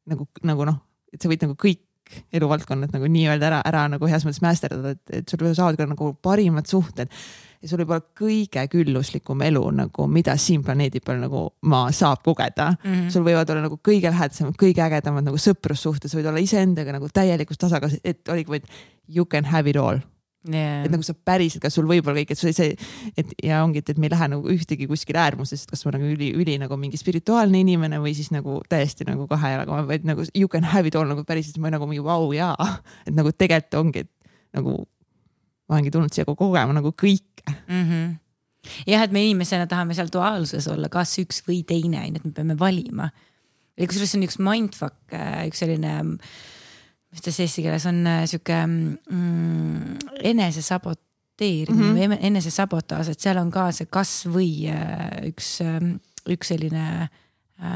Nagu, nagu noh, et sa võid nagu kõik eluvaldkonnad nagu nii-öelda ära, ära nagu heas mõttes mästerdada, et, et sul saavad ka nagu parimad suhted ja sul võib olla kõige külluslikum elu nagu, mida siin planeedi peal nagu maa saab kogeda. Mm -hmm. Sul võivad olla nagu kõige lähedasemad, kõige ägedamad nagu sõprussuhted, sa võid olla iseendaga nagu täielikus tasakaalus, et oligi vaid you can have it all. Yeah. Et nagu sa päriselt, kas sul võib olla kõik, et sul see, et ja ongi, et me ei lähe nagu ühtegi kuskil äärmusest, kas ma nagu üli, üli nagu mingi spirituaalne inimene või siis nagu täiesti nagu kahe jalaga, vaid nagu you can have it all nagu päriselt, ma nagu mingi vau wow, jaa, et nagu tegelikult ongi, et nagu ma olengi tulnud siia kogema nagu kõike. Mm -hmm. Jah, et me inimesena tahame seal duaalsuses olla, kas üks või teine, et me peame valima. Ja kusjuures on üks mindfuck, üks selline mis ta eesti keeles on siuke mm, enese saboteerimine mm -hmm. või enese sabotaaž, et seal on ka see kas või üks, üks selline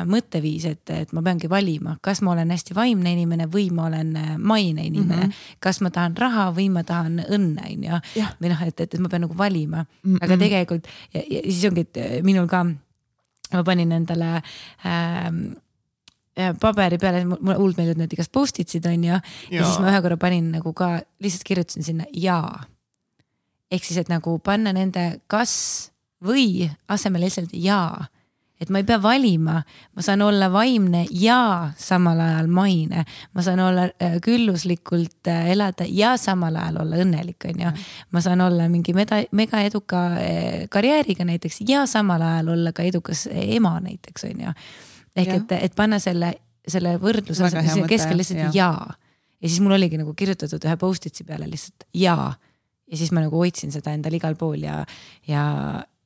mõtteviis, et, et ma peangi valima, kas ma olen hästi vaimne inimene või ma olen maine inimene, mm -hmm. kas ma tahan raha või ma tahan õnne, on ju. Või noh, et, et ma pean nagu valima, mm -hmm. aga tegelikult ja, ja siis ongi, et minul ka ma panin endale ähm, paberi peale, mulle hullult meeldivad need igast post-itsid on ju ja, ja siis ma ühe korra panin nagu ka, lihtsalt kirjutasin sinna jaa. Ehk siis, et nagu panna nende kas või asemel lihtsalt jaa. Et ma ei pea valima, ma saan olla vaimne ja samal ajal maine. Ma saan olla külluslikult elada ja samal ajal olla õnnelik, on ju. Ma saan olla mingi mega, mega eduka karjääriga näiteks ja samal ajal olla ka edukas ema näiteks, on ju. Ehk ja. et, et panna selle, selle võrdluse keskel lihtsalt ja. jaa. Ja siis mul oligi nagu kirjutatud ühe post-itsi peale lihtsalt jaa. Ja siis ma nagu hoidsin seda endal igal pool ja, ja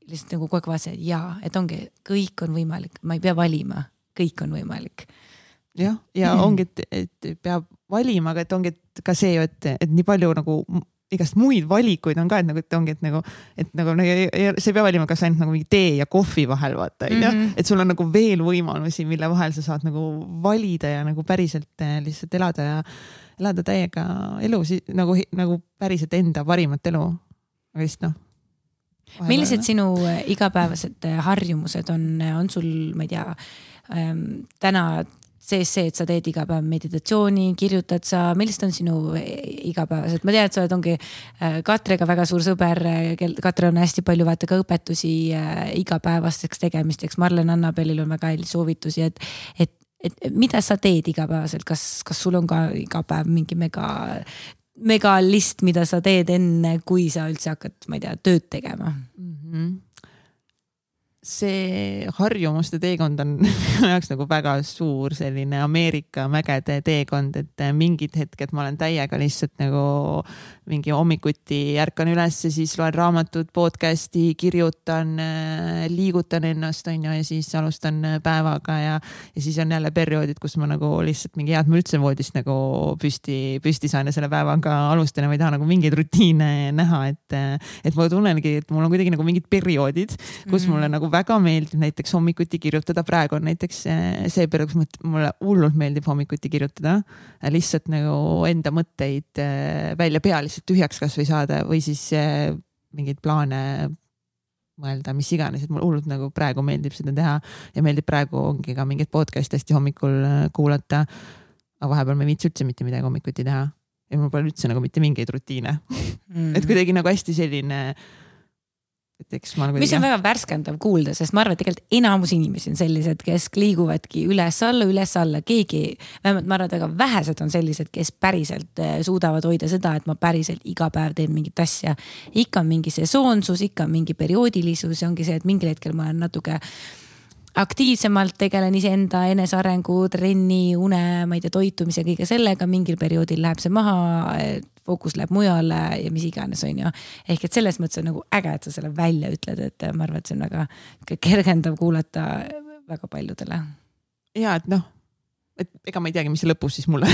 lihtsalt nagu kogu aeg vaatasin, et jaa, et ongi, kõik on võimalik, ma ei pea valima, kõik on võimalik. Jah, ja ongi, et, et peab valima, aga et ongi et ka see, et, et nii palju nagu igast muid valikuid on ka, et nagu, et ongi, et nagu, et nagu sa ei pea valima, kas ainult nagu mingi tee ja kohvi vahel vaata, mm -hmm. et sul on nagu veel võimalusi, mille vahel sa saad nagu valida ja nagu päriselt lihtsalt elada ja elada täiega elu, nagu, nagu päriselt enda parimat elu. Aga vist noh. Millised sinu igapäevased harjumused on, on sul, ma ei tea, täna sees see, et sa teed iga päev meditatsiooni, kirjutad sa, millised on sinu igapäevased? Ma tean, et sa oled ongi Katrega väga suur sõber, Katre on hästi palju vaata ka õpetusi igapäevasteks tegemisteks, Marlen Annabelil on väga häid soovitusi, et, et, et mida sa teed igapäevaselt, kas, kas sul on ka iga päev mingi mega, mega list, mida sa teed enne, kui sa üldse hakkad, ma ei tea, tööd tegema? Mm-hmm. See harjumuste teekond on minu jaoks nagu väga suur selline Ameerika mägede teekond, et mingid hetked ma olen täiega lihtsalt nagu mingi hommikuti ärkan üles, siis loen raamatut, podcasti, kirjutan, liigutan ennast on ju, ja siis alustan päevaga ja, ja siis on jälle perioodid, kus ma nagu lihtsalt mingi head ma üldse voodist nagu püsti, püsti saan ja selle päevaga alustan ja ma ei taha nagu mingeid rutiine näha, et, et ma tunnengi, et mul on kuidagi nagu mingid perioodid, kus mm-hmm. mulle nagu väga meeldib näiteks hommikuti kirjutada, praegu on näiteks see periood, kus mulle hullult meeldib hommikuti kirjutada, lihtsalt nagu enda mõtteid välja pea lihtsalt tühjaks kas või saada või siis mingeid plaane mõelda, mis iganes, et mul hullult nagu praegu meeldib seda teha ja meeldib praegu ongi ka mingid podcast hästi hommikul kuulata, aga vahepeal ma ei viitsi üldse mitte midagi hommikuti teha ja mul pole üldse nagu mitte mingeid rutiine mm. et kuidagi nagu hästi selline mis on väga värskendav kuulda, sest ma arvan, et tegelikult enamus inimesi on sellised, kes liiguvadki üles-alla, üles-alla, keegi, vähemalt ma arvan, et väga vähesed on sellised, kes päriselt suudavad hoida seda, et ma päriselt iga päev teen mingit asja. Ikka on mingi sesoonsus, ikka on mingi perioodilisus ja ongi see, et mingil hetkel ma olen natuke aktiivsemalt tegelen iseenda enesearengu, trenni, une, ma ei tea, toitumise, kõige sellega, mingil perioodil läheb see maha, fookus läheb mujale ja mis iganes on ju. Ehk et selles mõttes on nagu äge, et sa selle välja ütled, et ma arvan, et see on väga kergendav kuulata väga paljudele. Ja, et noh, et ega ma ei teagi, mis see lõpus siis mulle,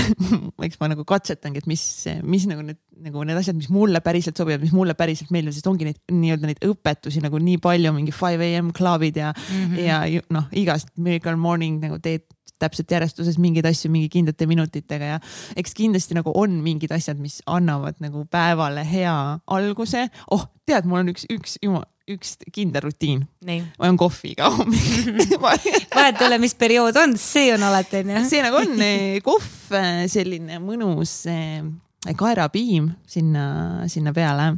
eks ma nagu katsetangi, et mis, mis nagu need, nagu need asjad, mis mulle päriselt sobivad, mis mulle päriselt meeldivad, sest ongi neid, nii-öelda neid õpetusi nagu nii palju, mingi five a m klubid ja, mm-hmm. ja noh, igast Miracle Morning nagu teed täpselt järjestuses mingeid asju mingi kindlate minutitega ja eks kindlasti nagu on mingid asjad, mis annavad nagu päevale hea alguse. Oh, tead, mul on üks, üks, üks kindel rutiin. Nii. Ma olen kohviga hommik. Vahet ole, mis periood on, see on alati. See nagu on kohv, selline mõnus kaerapiim sinna, sinna peale,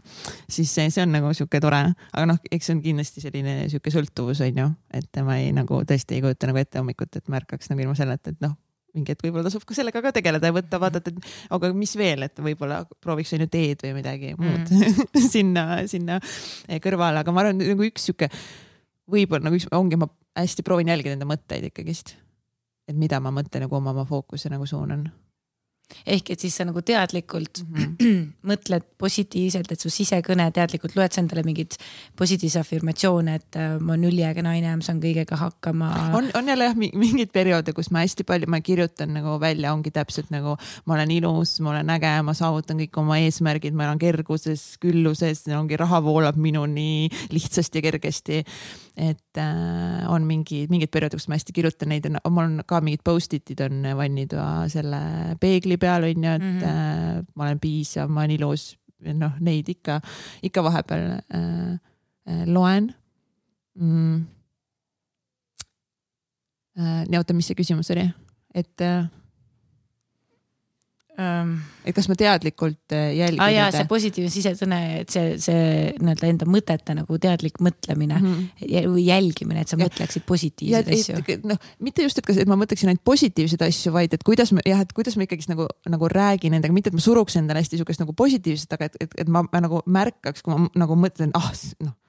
siis see, see on nagu siuke tore, aga noh, eks see on kindlasti selline siuke sõltuvus on ju, et ma ei nagu tõesti ei kujuta nagu ette hommikut, et märkaks nagu ilma selleta, et noh, mingi hetk võib-olla tasub ka sellega ka tegeleda ja võtta, vaadata, et aga mis veel, et võib-olla prooviks on ju teed või midagi muud mm. sinna, sinna kõrvale, aga ma arvan, nagu üks siuke, võib-olla nagu üks, ongi, ma hästi proovin jälgida enda mõtteid ikkagist, et mida ma mõtlen nagu oma, oma fookuse nagu suunan. Ehk et siis sa nagu teadlikult mm-hmm. mõtled positiivselt, et su sisekõne teadlikult loed sa endale mingid positiivse affirmatsioone, et ma olen üliäge naine, ma saan kõigega hakkama. On, on jälle jah, mingid perioode, kus ma hästi palju, ma kirjutan nagu välja, ongi täpselt nagu ma olen ilus, ma olen äge, ma saavutan kõik oma eesmärgid, ma olen kerguses, külluses, ongi raha voolab minuni lihtsasti ja kergesti. Et äh, on mingi, mingid perioodid, kus ma hästi kirjutan neid, mul on ka mingid post-itid on vannid selle peegli peal on ju, et mm-hmm. äh, ma olen piisav, ma olen ilus, noh, neid ikka, ikka vahepeal äh, äh, loen. Mm. Äh, nii, oota, mis see küsimus oli? Et äh, Um, et kas ma teadlikult jälgin ah, jaa, see positiivne sisetõne, et see, see nii-öelda enda mõtete nagu teadlik mõtlemine mm-hmm. või jälgimine, et sa ja, mõtleksid positiivseid ja, asju. No, mitte just, et, kas, et ma mõtleksin ainult positiivseid asju, vaid et kuidas ma, jah, et kuidas ma ikkagi nagu, nagu räägin endaga, mitte et ma suruks endale hästi sukest nagu positiivset, aga et, et, et ma, ma nagu märkaks, kui ma nagu mõtlen, ah, noh,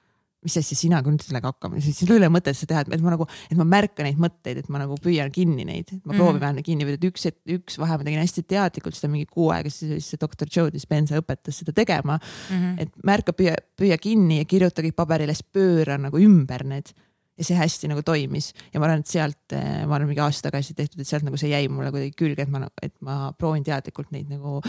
mis asja sina kui nüüd sellega hakkama, siis ei ole mõtet seda teha, et ma nagu, et ma märkan neid mõtteid, et ma nagu püüan kinni neid, et ma mm. proovin vähemalt kinni püüda, et üks, et üks vahe ma tegin hästi teadlikult seda mingi kuu aega, siis see doktor Joe Dispenza õpetas seda tegema, mm-hmm. et märka, püüa, püüa kinni ja kirjuta kõik paberile, pööra nagu ümber need ja see hästi nagu toimis ja ma arvan, et sealt, ma olen mingi aasta tagasi tehtud, et sealt nagu see jäi mulle kuidagi külge, et ma, et ma proovin teadlikult neid nagu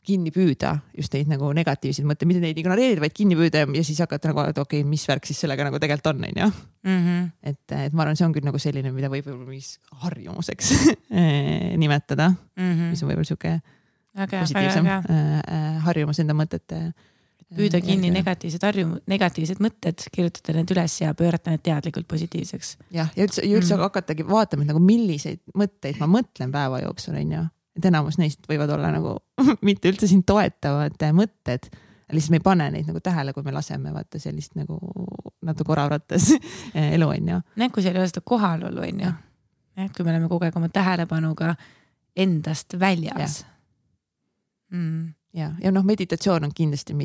kinni püüda, just neid nagu negatiivseid mõtteid, mitte neid ignoreerida, vaid kinni püüda ja siis hakata nagu, et okei, okay, mis värk siis sellega nagu tegelikult on, on ju. Mm-hmm. Et, et ma arvan, see on küll nagu selline, mida võib võib-olla mis harjumuseks nimetada, mm-hmm. mis on võib-olla siuke positiivsem harjumus enda mõtete. püüda kinni negatiivsed harjum-, negatiivsed mõtted, kirjutada need üles ja pöörata need teadlikult positiivseks. jah, ja üldse, ja üldse mm. hakatagi vaatama, et nagu milliseid mõtteid ma mõtlen päeva jooksul, on ju. Et enamus neist võivad olla nagu mitte üldse siin toetavad mõtted, lihtsalt me ei pane neid nagu tähele, kui me laseme vaata sellist nagu natuke oravrattas elu, on ju. Näed, kui seal ei ole seda kohalolu, on ju. Et kui me oleme kogu aeg oma tähelepanuga endast väljas. Ja, mm. ja, ja noh, meditatsioon on kindlasti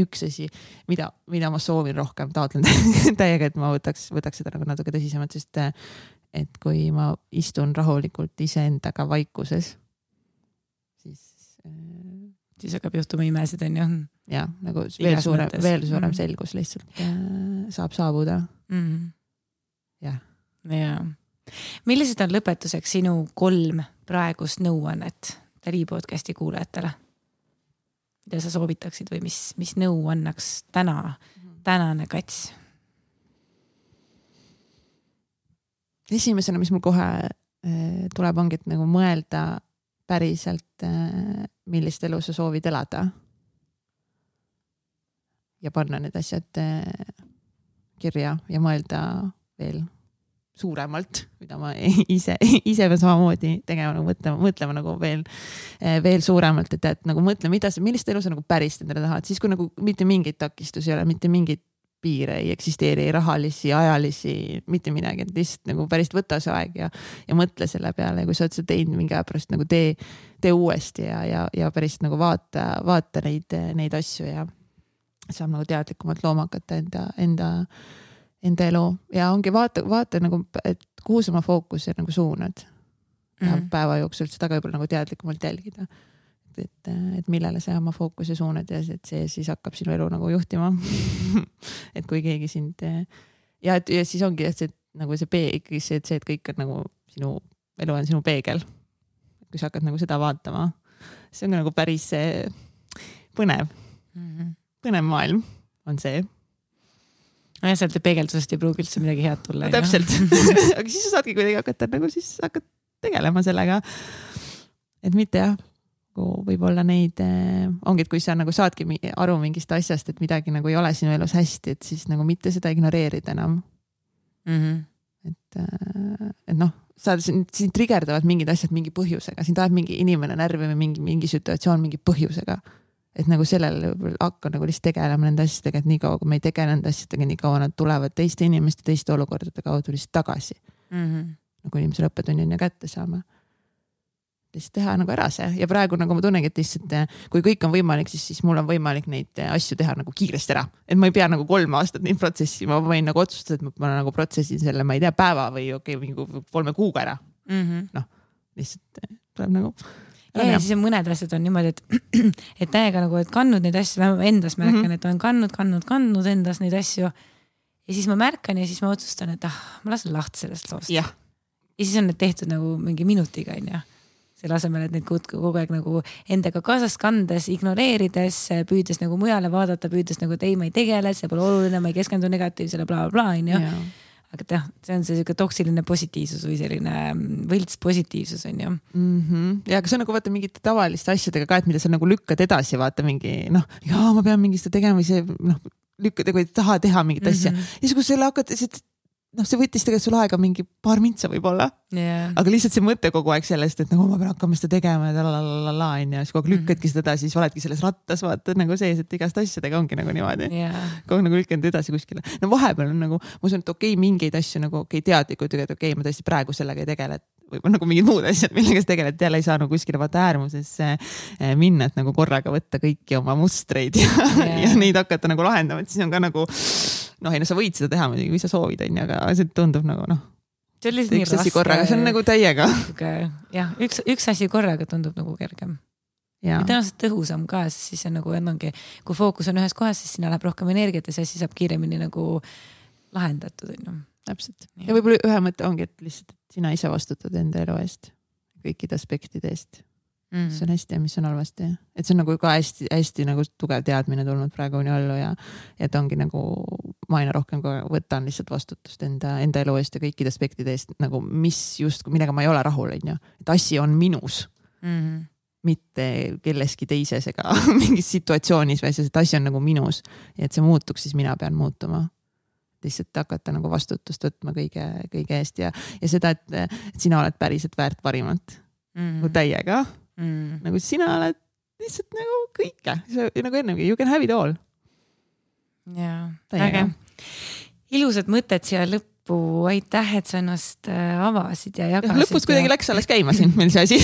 üks asi, mida, mida ma soovin rohkem taotlen täiega, et ma võtaks, võtaks seda nagu natuke tõsisemalt, sest et kui ma istun rahulikult iseendaga vaikuses, siis siis hakkab juhtuma imesid, on ju. Ja, nagu veel suurem, veel suurem mm. selgus lihtsalt äh, saab saabuda. Mm. jah. Ja. Millised on lõpetuseks sinu kolm praegust nõuannet Tali podcasti kuulajatele? Mida sa soovitaksid või mis, mis nõu annaks täna, tänane Kats? Esimesena, mis mul kohe äh, tuleb, ongi, et nagu mõelda päriselt, äh, millist elu sa soovid elada. Ja panna need asjad äh, kirja ja mõelda veel suuremalt, mida ma ise, ise pean samamoodi tegema, nagu mõtlema, mõtlema nagu veel, veel suuremalt, et, et nagu mõtle, mida sa, millist elu sa nagu päris endale tahad, siis kui nagu mitte mingeid takistusi ei ole, mitte mingeid piire ei eksisteeri, rahalisi, ajalisi, mitte midagi, et lihtsalt nagu päris võta see aeg ja, ja mõtle selle peale, kui sa oled seda teinud mingi aja pärast, nagu tee, tee uuesti ja, ja, ja päris nagu vaata, vaata neid, neid asju ja saab nagu teadlikumalt looma hakata enda, enda enda elu ja ongi vaata, vaata nagu, et kuhu sa oma fookus nagu suunad ja mm. päeva jooksul seda ka võib-olla nagu teadlikumalt jälgida. Et, et millele sa oma fookuse suunad ja et see siis hakkab sinu elu nagu juhtima. et kui keegi sind ja, et, ja siis ongi, et see, nagu see peeg, see, see, et kõik on nagu sinu elu on sinu peegel. Kui sa hakkad nagu seda vaatama, see on nagu päris põnev. Mm-hmm. Põnev maailm on see. Ja sealt peegeldusest ei pruugi üldse midagi head tulla. No, täpselt. Aga siis sa saadki kuidagi hakata, nagu siis hakkad tegelema sellega. Et mitte jah, võib-olla neid, ongi, et kui sa nagu saadki aru mingist asjast, et midagi nagu ei ole sinu elus hästi, et siis nagu mitte seda ignoreerida enam. Mm-hmm. Et, et noh, sa siin, siin trigerdavad mingid asjad mingi põhjusega. Siin tahab mingi inimene närvi või mingi, mingi situatsioon mingi põhjusega. Et nagu sellele hakka nagu lihtsalt tegelema nende asjadega, et nii kaua, kui me ei tegele nende asjadega, nii kaua nad tulevad teiste inimeste, teiste olukordade kaudu lihtsalt tagasi. Mm-hmm. Nagu inimesel õppetunnin ja kätte saama. Lihtsalt teha nagu ära see. Ja praegu nagu ma tunnengi, et lihtsalt kui kõik on võimalik, siis, siis mul on võimalik neid asju teha nagu kiiresti ära. Et ma ei pea nagu kolm aastat neid protsessi, ma võin nagu otsustada, et ma nagu protsessin selle, ma ei tea, päeva või okei, okay, kolme kuuga ära. Mm-hmm. Noh, lihtsalt tuleb nagu... Ja, ja siis mõned asjad on niimoodi, et, et täiega nagu, et kannud neid asju, ma endas märkan, mm-hmm. et olen kannud, kannud, kannud endas neid asju. Ja siis ma märkan ja siis ma otsustan, et ah, ma lasen lahti sellest loost. Ja. ja siis on need tehtud nagu mingi minutiga, on ju. Selle asemel, et neid kogu aeg nagu endaga kaasas kandes, ignoreerides, püüdes nagu mujale vaadata, püüdes nagu, et ei, ma ei tegele, see pole oluline, ma ei keskendu negatiivsele, bla, bla, bla, on ju. Ja. Aga jah, see on see toksiline positiivsus või selline võlts positiivsus on ju. Mm-hmm. Ja aga see on nagu vaata mingite tavaliste asjadega ka, et mida sa nagu lükkad edasi, vaata mingi noh, jaa, ma pean mingist tegema või see noh, lükkad, kui ei taha teha mingit asja. Mm-hmm. Ja siis kui selle hakkad, noh, see võttis tegelikult sul aega mingi paar mintsa võib-olla. Yeah. Aga lihtsalt see mõte kogu aeg sellest, et nagu ma pean hakkama seda tegema ja lalalala, ja siis kogu aeg lükkadki seda edasi, siis oledki selles rattas, vaata nagu sees, et igast asjadega ongi nagu niimoodi. Yeah. Kogu nagu lükkanud edasi kuskile. No vahepeal on nagu, ma usun, et okei, okay, mingeid asju nagu okei okay, teadlikud, et okei okay,, ma tõesti praegu sellega ei tegele, või nagu mingid muud asjad, millega sa tegeled, jälle ei saa nagu kuskile vaata äärmusesse minna, et nagu korraga võtta kõiki oma mustreid ja, yeah. ja neid hakata nagu lahendama, et siis on ka nagu noh, ei no sa võid seda teha muidugi, kui sa soovid, on, aga see tundub nagu noh, see on lihtsalt nii raske. Korraga, see on nagu täiega. jah, üks, üks asi korraga tundub nagu kergem. Ja tõenäoliselt tõhusam ka, sest siis on nagu ennangi, kui fookus on ühes kohas, siis sinna läheb rohkem energiat ja see siis saab kiiremini nagu lahendatud. On. Täpselt. Ja, ja võib-olla ühe mõte ongi, et lihtsalt et sina ise vastutad enda elu eest, kõikide aspektide eest. Mm. Mis on hästi ja mis on halvasti. Et see on nagu ka hästi, hästi nagu tugev teadmine tulnud praegu nii allu ja et ongi nagu ma aina rohkem ka võtan lihtsalt vastutust enda, enda elu eest ja kõikide aspektide eest, nagu mis just, millega ma ei ole rahul, on ju. Et asi on minus. Mm-hmm. mitte kelleski teises ega mingis situatsioonis, või see asi on nagu minus ja et see muutuks, siis mina pean muutuma. Lihtsalt hakata nagu vastutust võtma kõige, kõige eest ja, ja seda, et, et sina oled päriselt väärt parimat mm. nagu täiega. Mm. Nagu sina oled lihtsalt nagu kõike. Nagu ennemgi, you can have it all. Jaa, äge. Ilusad mõtted siia lõppu. Aitäh, et sa ennast avasid ja jagasid. Ja lõpus kuidagi läks alles käima siin meil see asi.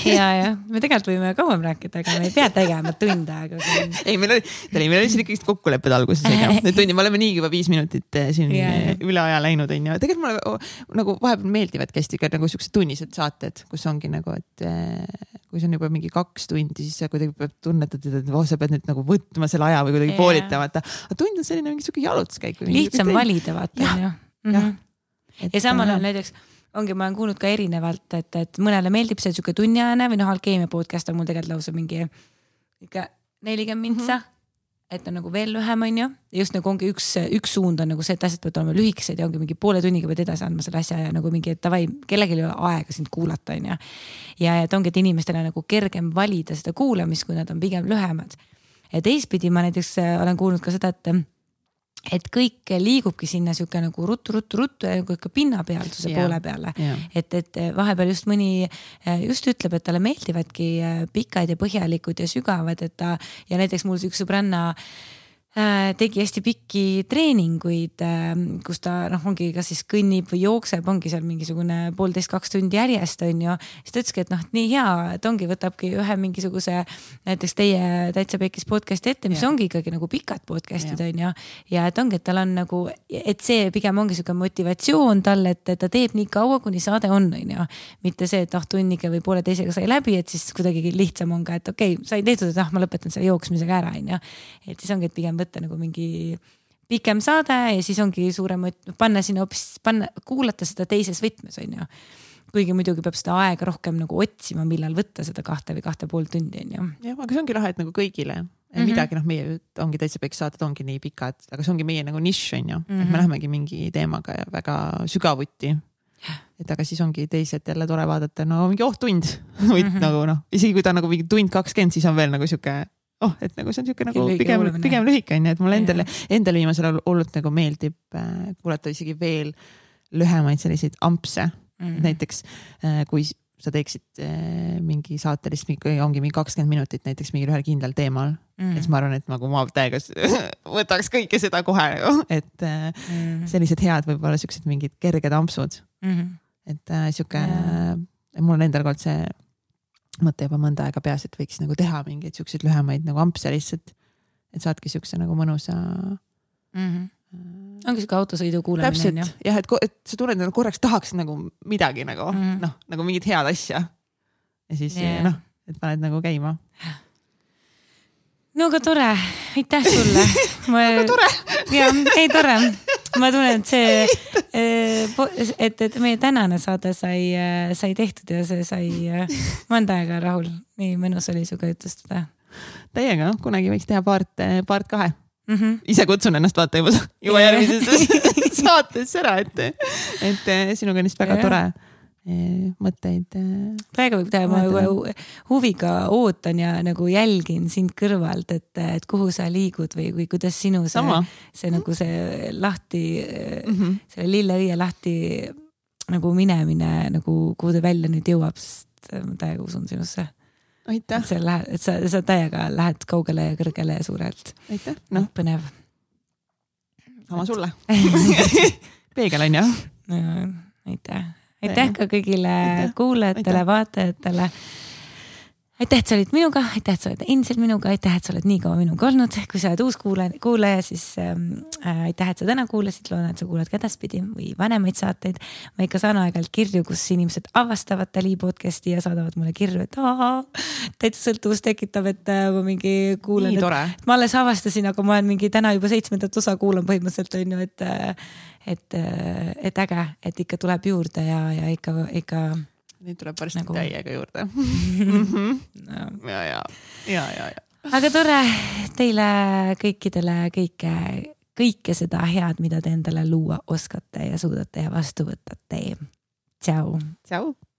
ja, ja. Me tegelikult võime kauem rääkida, aga me ei pea tegema tunde. Aga ei, meil oli, meil oli siin ikkagi kokkulepped alguses. Need tundi, me oleme nii juba viis minutit siin ja, ja. üle aja läinud. Ja. Tegelikult mulle nagu vahepeal meeldivad kästiga nagu siuksed tunnised saated, kus ongi nagu, et kui see on juba mingi kaks tundi, siis sa kuidagi peab tunnetad, et oh, sa pead nüüd nagu võtma selle aja või kuidagi poolitamata. Aga tund on selline mingi siuke jalutuskäik. Lihtsam valida, vaata. Ja. Mm-hmm. ja samal ajal näiteks ongi, ma olen kuulnud ka erinevalt, et, et mõnele meeldib see siuke tunniajane või noh, alkeemia podcast on mul tegelikult lausa mingi ikka nelikümmend mintsa, mm-hmm. et on nagu veel lühem on ju. Just nagu ongi üks, üks suund on nagu see, et asjad peavad olema lühikesed ja ongi mingi poole tunniga pead edasi andma selle asja ja nagu mingi, et tavai, kellelgi ei ole aega sind kuulata on ju. Ja et ongi, et inimestele nagu kergem valida seda kuulamist, kui nad on pigem lühemad. Ja teistpidi ma näiteks olen kuulnud ka seda, et et kõik liigubki sinna siuke nagu ruttu, ruttu, ruttu ja ka pinnapealsuse yeah. poole peale. Yeah. Et, et vahepeal just mõni just ütleb, et talle meeldivadki pikad ja põhjalikud ja sügavad, et ta ja näiteks mul üks sõbranna tegi hästi pikki treeninguid, kus ta noh, ongi kas siis kõnnib või jookseb, ongi seal mingisugune poolteist kaks tundi järjest on ju. Siis ta ütleski, et noh, nii hea, et ongi võtabki ühe mingisuguse näiteks teie Täitsa Pekkis podcasti ette, mis ja. Ongi ikkagi nagu pikad podcastid ja. On ju. Ja et ongi, et tal on nagu, et see pigem ongi siuke motivatsioon talle, et ta teeb nii kaua, kuni saade on, on ju. Mitte see, et noh, tunniga või poole teisega sai läbi, et siis kuidagi lihtsam on ka, et okei, okay, sai tehtud, et ah, ma lõpetan selle jooksmisega ära, on ju. Et siis ongi, et pigem võtta nagu mingi pikem saade ja siis ongi suurem, panna sinna hoopis, panna, kuulata seda teises võtmes, on ju. Kuigi muidugi peab seda aega rohkem nagu otsima, millal võtta seda kahte või kahte pool tundi, on ju. Jah, aga see ongi lahe, et nagu kõigile. Mm-hmm. Midagi, noh, meie ongi Täitsa Pekkis saated ongi nii pikad, aga see ongi meie nagu nišš, on ju. Mm-hmm. Et me lähemegi mingi teemaga ja väga sügavuti. Et aga siis ongi teised jälle tore vaadata, no mingi oh tund. Mm-hmm. nagu noh, isegi kui ta nagu mingi tund kakskümmend, siis on veel nagu siuke oh, et nagu see on siuke nagu pigem, pigem lühike on, et mulle endale, endale viimasel olnud nagu meeldib äh, kuulata isegi veel lühemaid selliseid ampse. Mm-hmm. Näiteks äh, kui sa teeksid äh, mingi saatelist, ongi mingi kakskümmend minutit näiteks mingi ühel kindlal teemal, mm-hmm. et ma arvan, et nagu ma täiega võtaks kõike seda kohe, et äh, mm-hmm. sellised head võib-olla siuksed mingid kerged ampsud. Mm-hmm. Et äh, siuke yeah. äh, mul on endal kord see mõte juba mõnda aega peas, et võiks nagu teha mingeid siukseid lühemaid nagu ampse lihtsalt, et saadki siukse nagu mõnusa mm-hmm. ongi siuke autosõidu kuulamine. Täpselt, jah, et, et sa tunned nagu korraks tahaks nagu midagi nagu mm-hmm. noh, nagu mingit head asja ja siis yeah. noh, et paned nagu käima. No aga tore, aitäh sulle. Ma... aga tore. ja, ei tore. Ma tunnen, et see, et, et meie tänane saade sai, sai tehtud ja see sai mõnda aega rahul. Nii mõnus oli suga jutustada. Täiega, kunagi võiks teha part, part kahe. Mm-hmm. Ise kutsun ennast vaata juba, juba järgmises saates ära, et, et sinuga on vist väga ja. Tore mõtteid. Praegu võib teha, ma huviga ootan ja nagu jälgin sind kõrvalt, et, et kuhu sa liigud või, või kuidas sinu see, see nagu see lahti, mm-hmm. selle lilleõie lahti nagu minemine, nagu kuhu ta välja nüüd jõuab, sest ma täiega usun sinusse. Aitäh. Et, lähed, et sa, sa täiega lähed kaugele ja kõrgele ja suurelt. Aitäh. No. Põnev. Sama sulle. Peegel on jah? No, aitäh. Aitäh ka kõigile aitäh. Kuulajatele, aitäh. Vaatajatele. Aitäh, et sa olid minuga, aitäh, et sa oled endiselt minuga, aitäh, et sa oled nii kaua minuga olnud. Kui sa oled uus kuulaja, kuulaja siis äh, aitäh, et sa täna kuulasid, loodan, et sa kuulad ka edaspidi või vanemaid saateid. Ma ikka saan aegalt kirju, kus inimesed avastavad Tali podcasti ja saadavad mulle kirju, et ahaa, täitsa sõltuvust tekitab, et äh, ma mingi kuulen. Et ma alles avastasin, aga ma olen mingi täna juba seitsmendat osa kuulan põhimõtteliselt, on ju, et äh, et, et äge, et ikka tuleb juurde ja, ja ikka, ikka nüüd tuleb varsti nagu... täiega juurde. mm-hmm. no. ja, ja, ja, ja, ja. Aga tore teile kõikidele kõike, kõike seda head, mida te endale luua oskate ja suudate ja vastu võtate. Tšau. Tšau.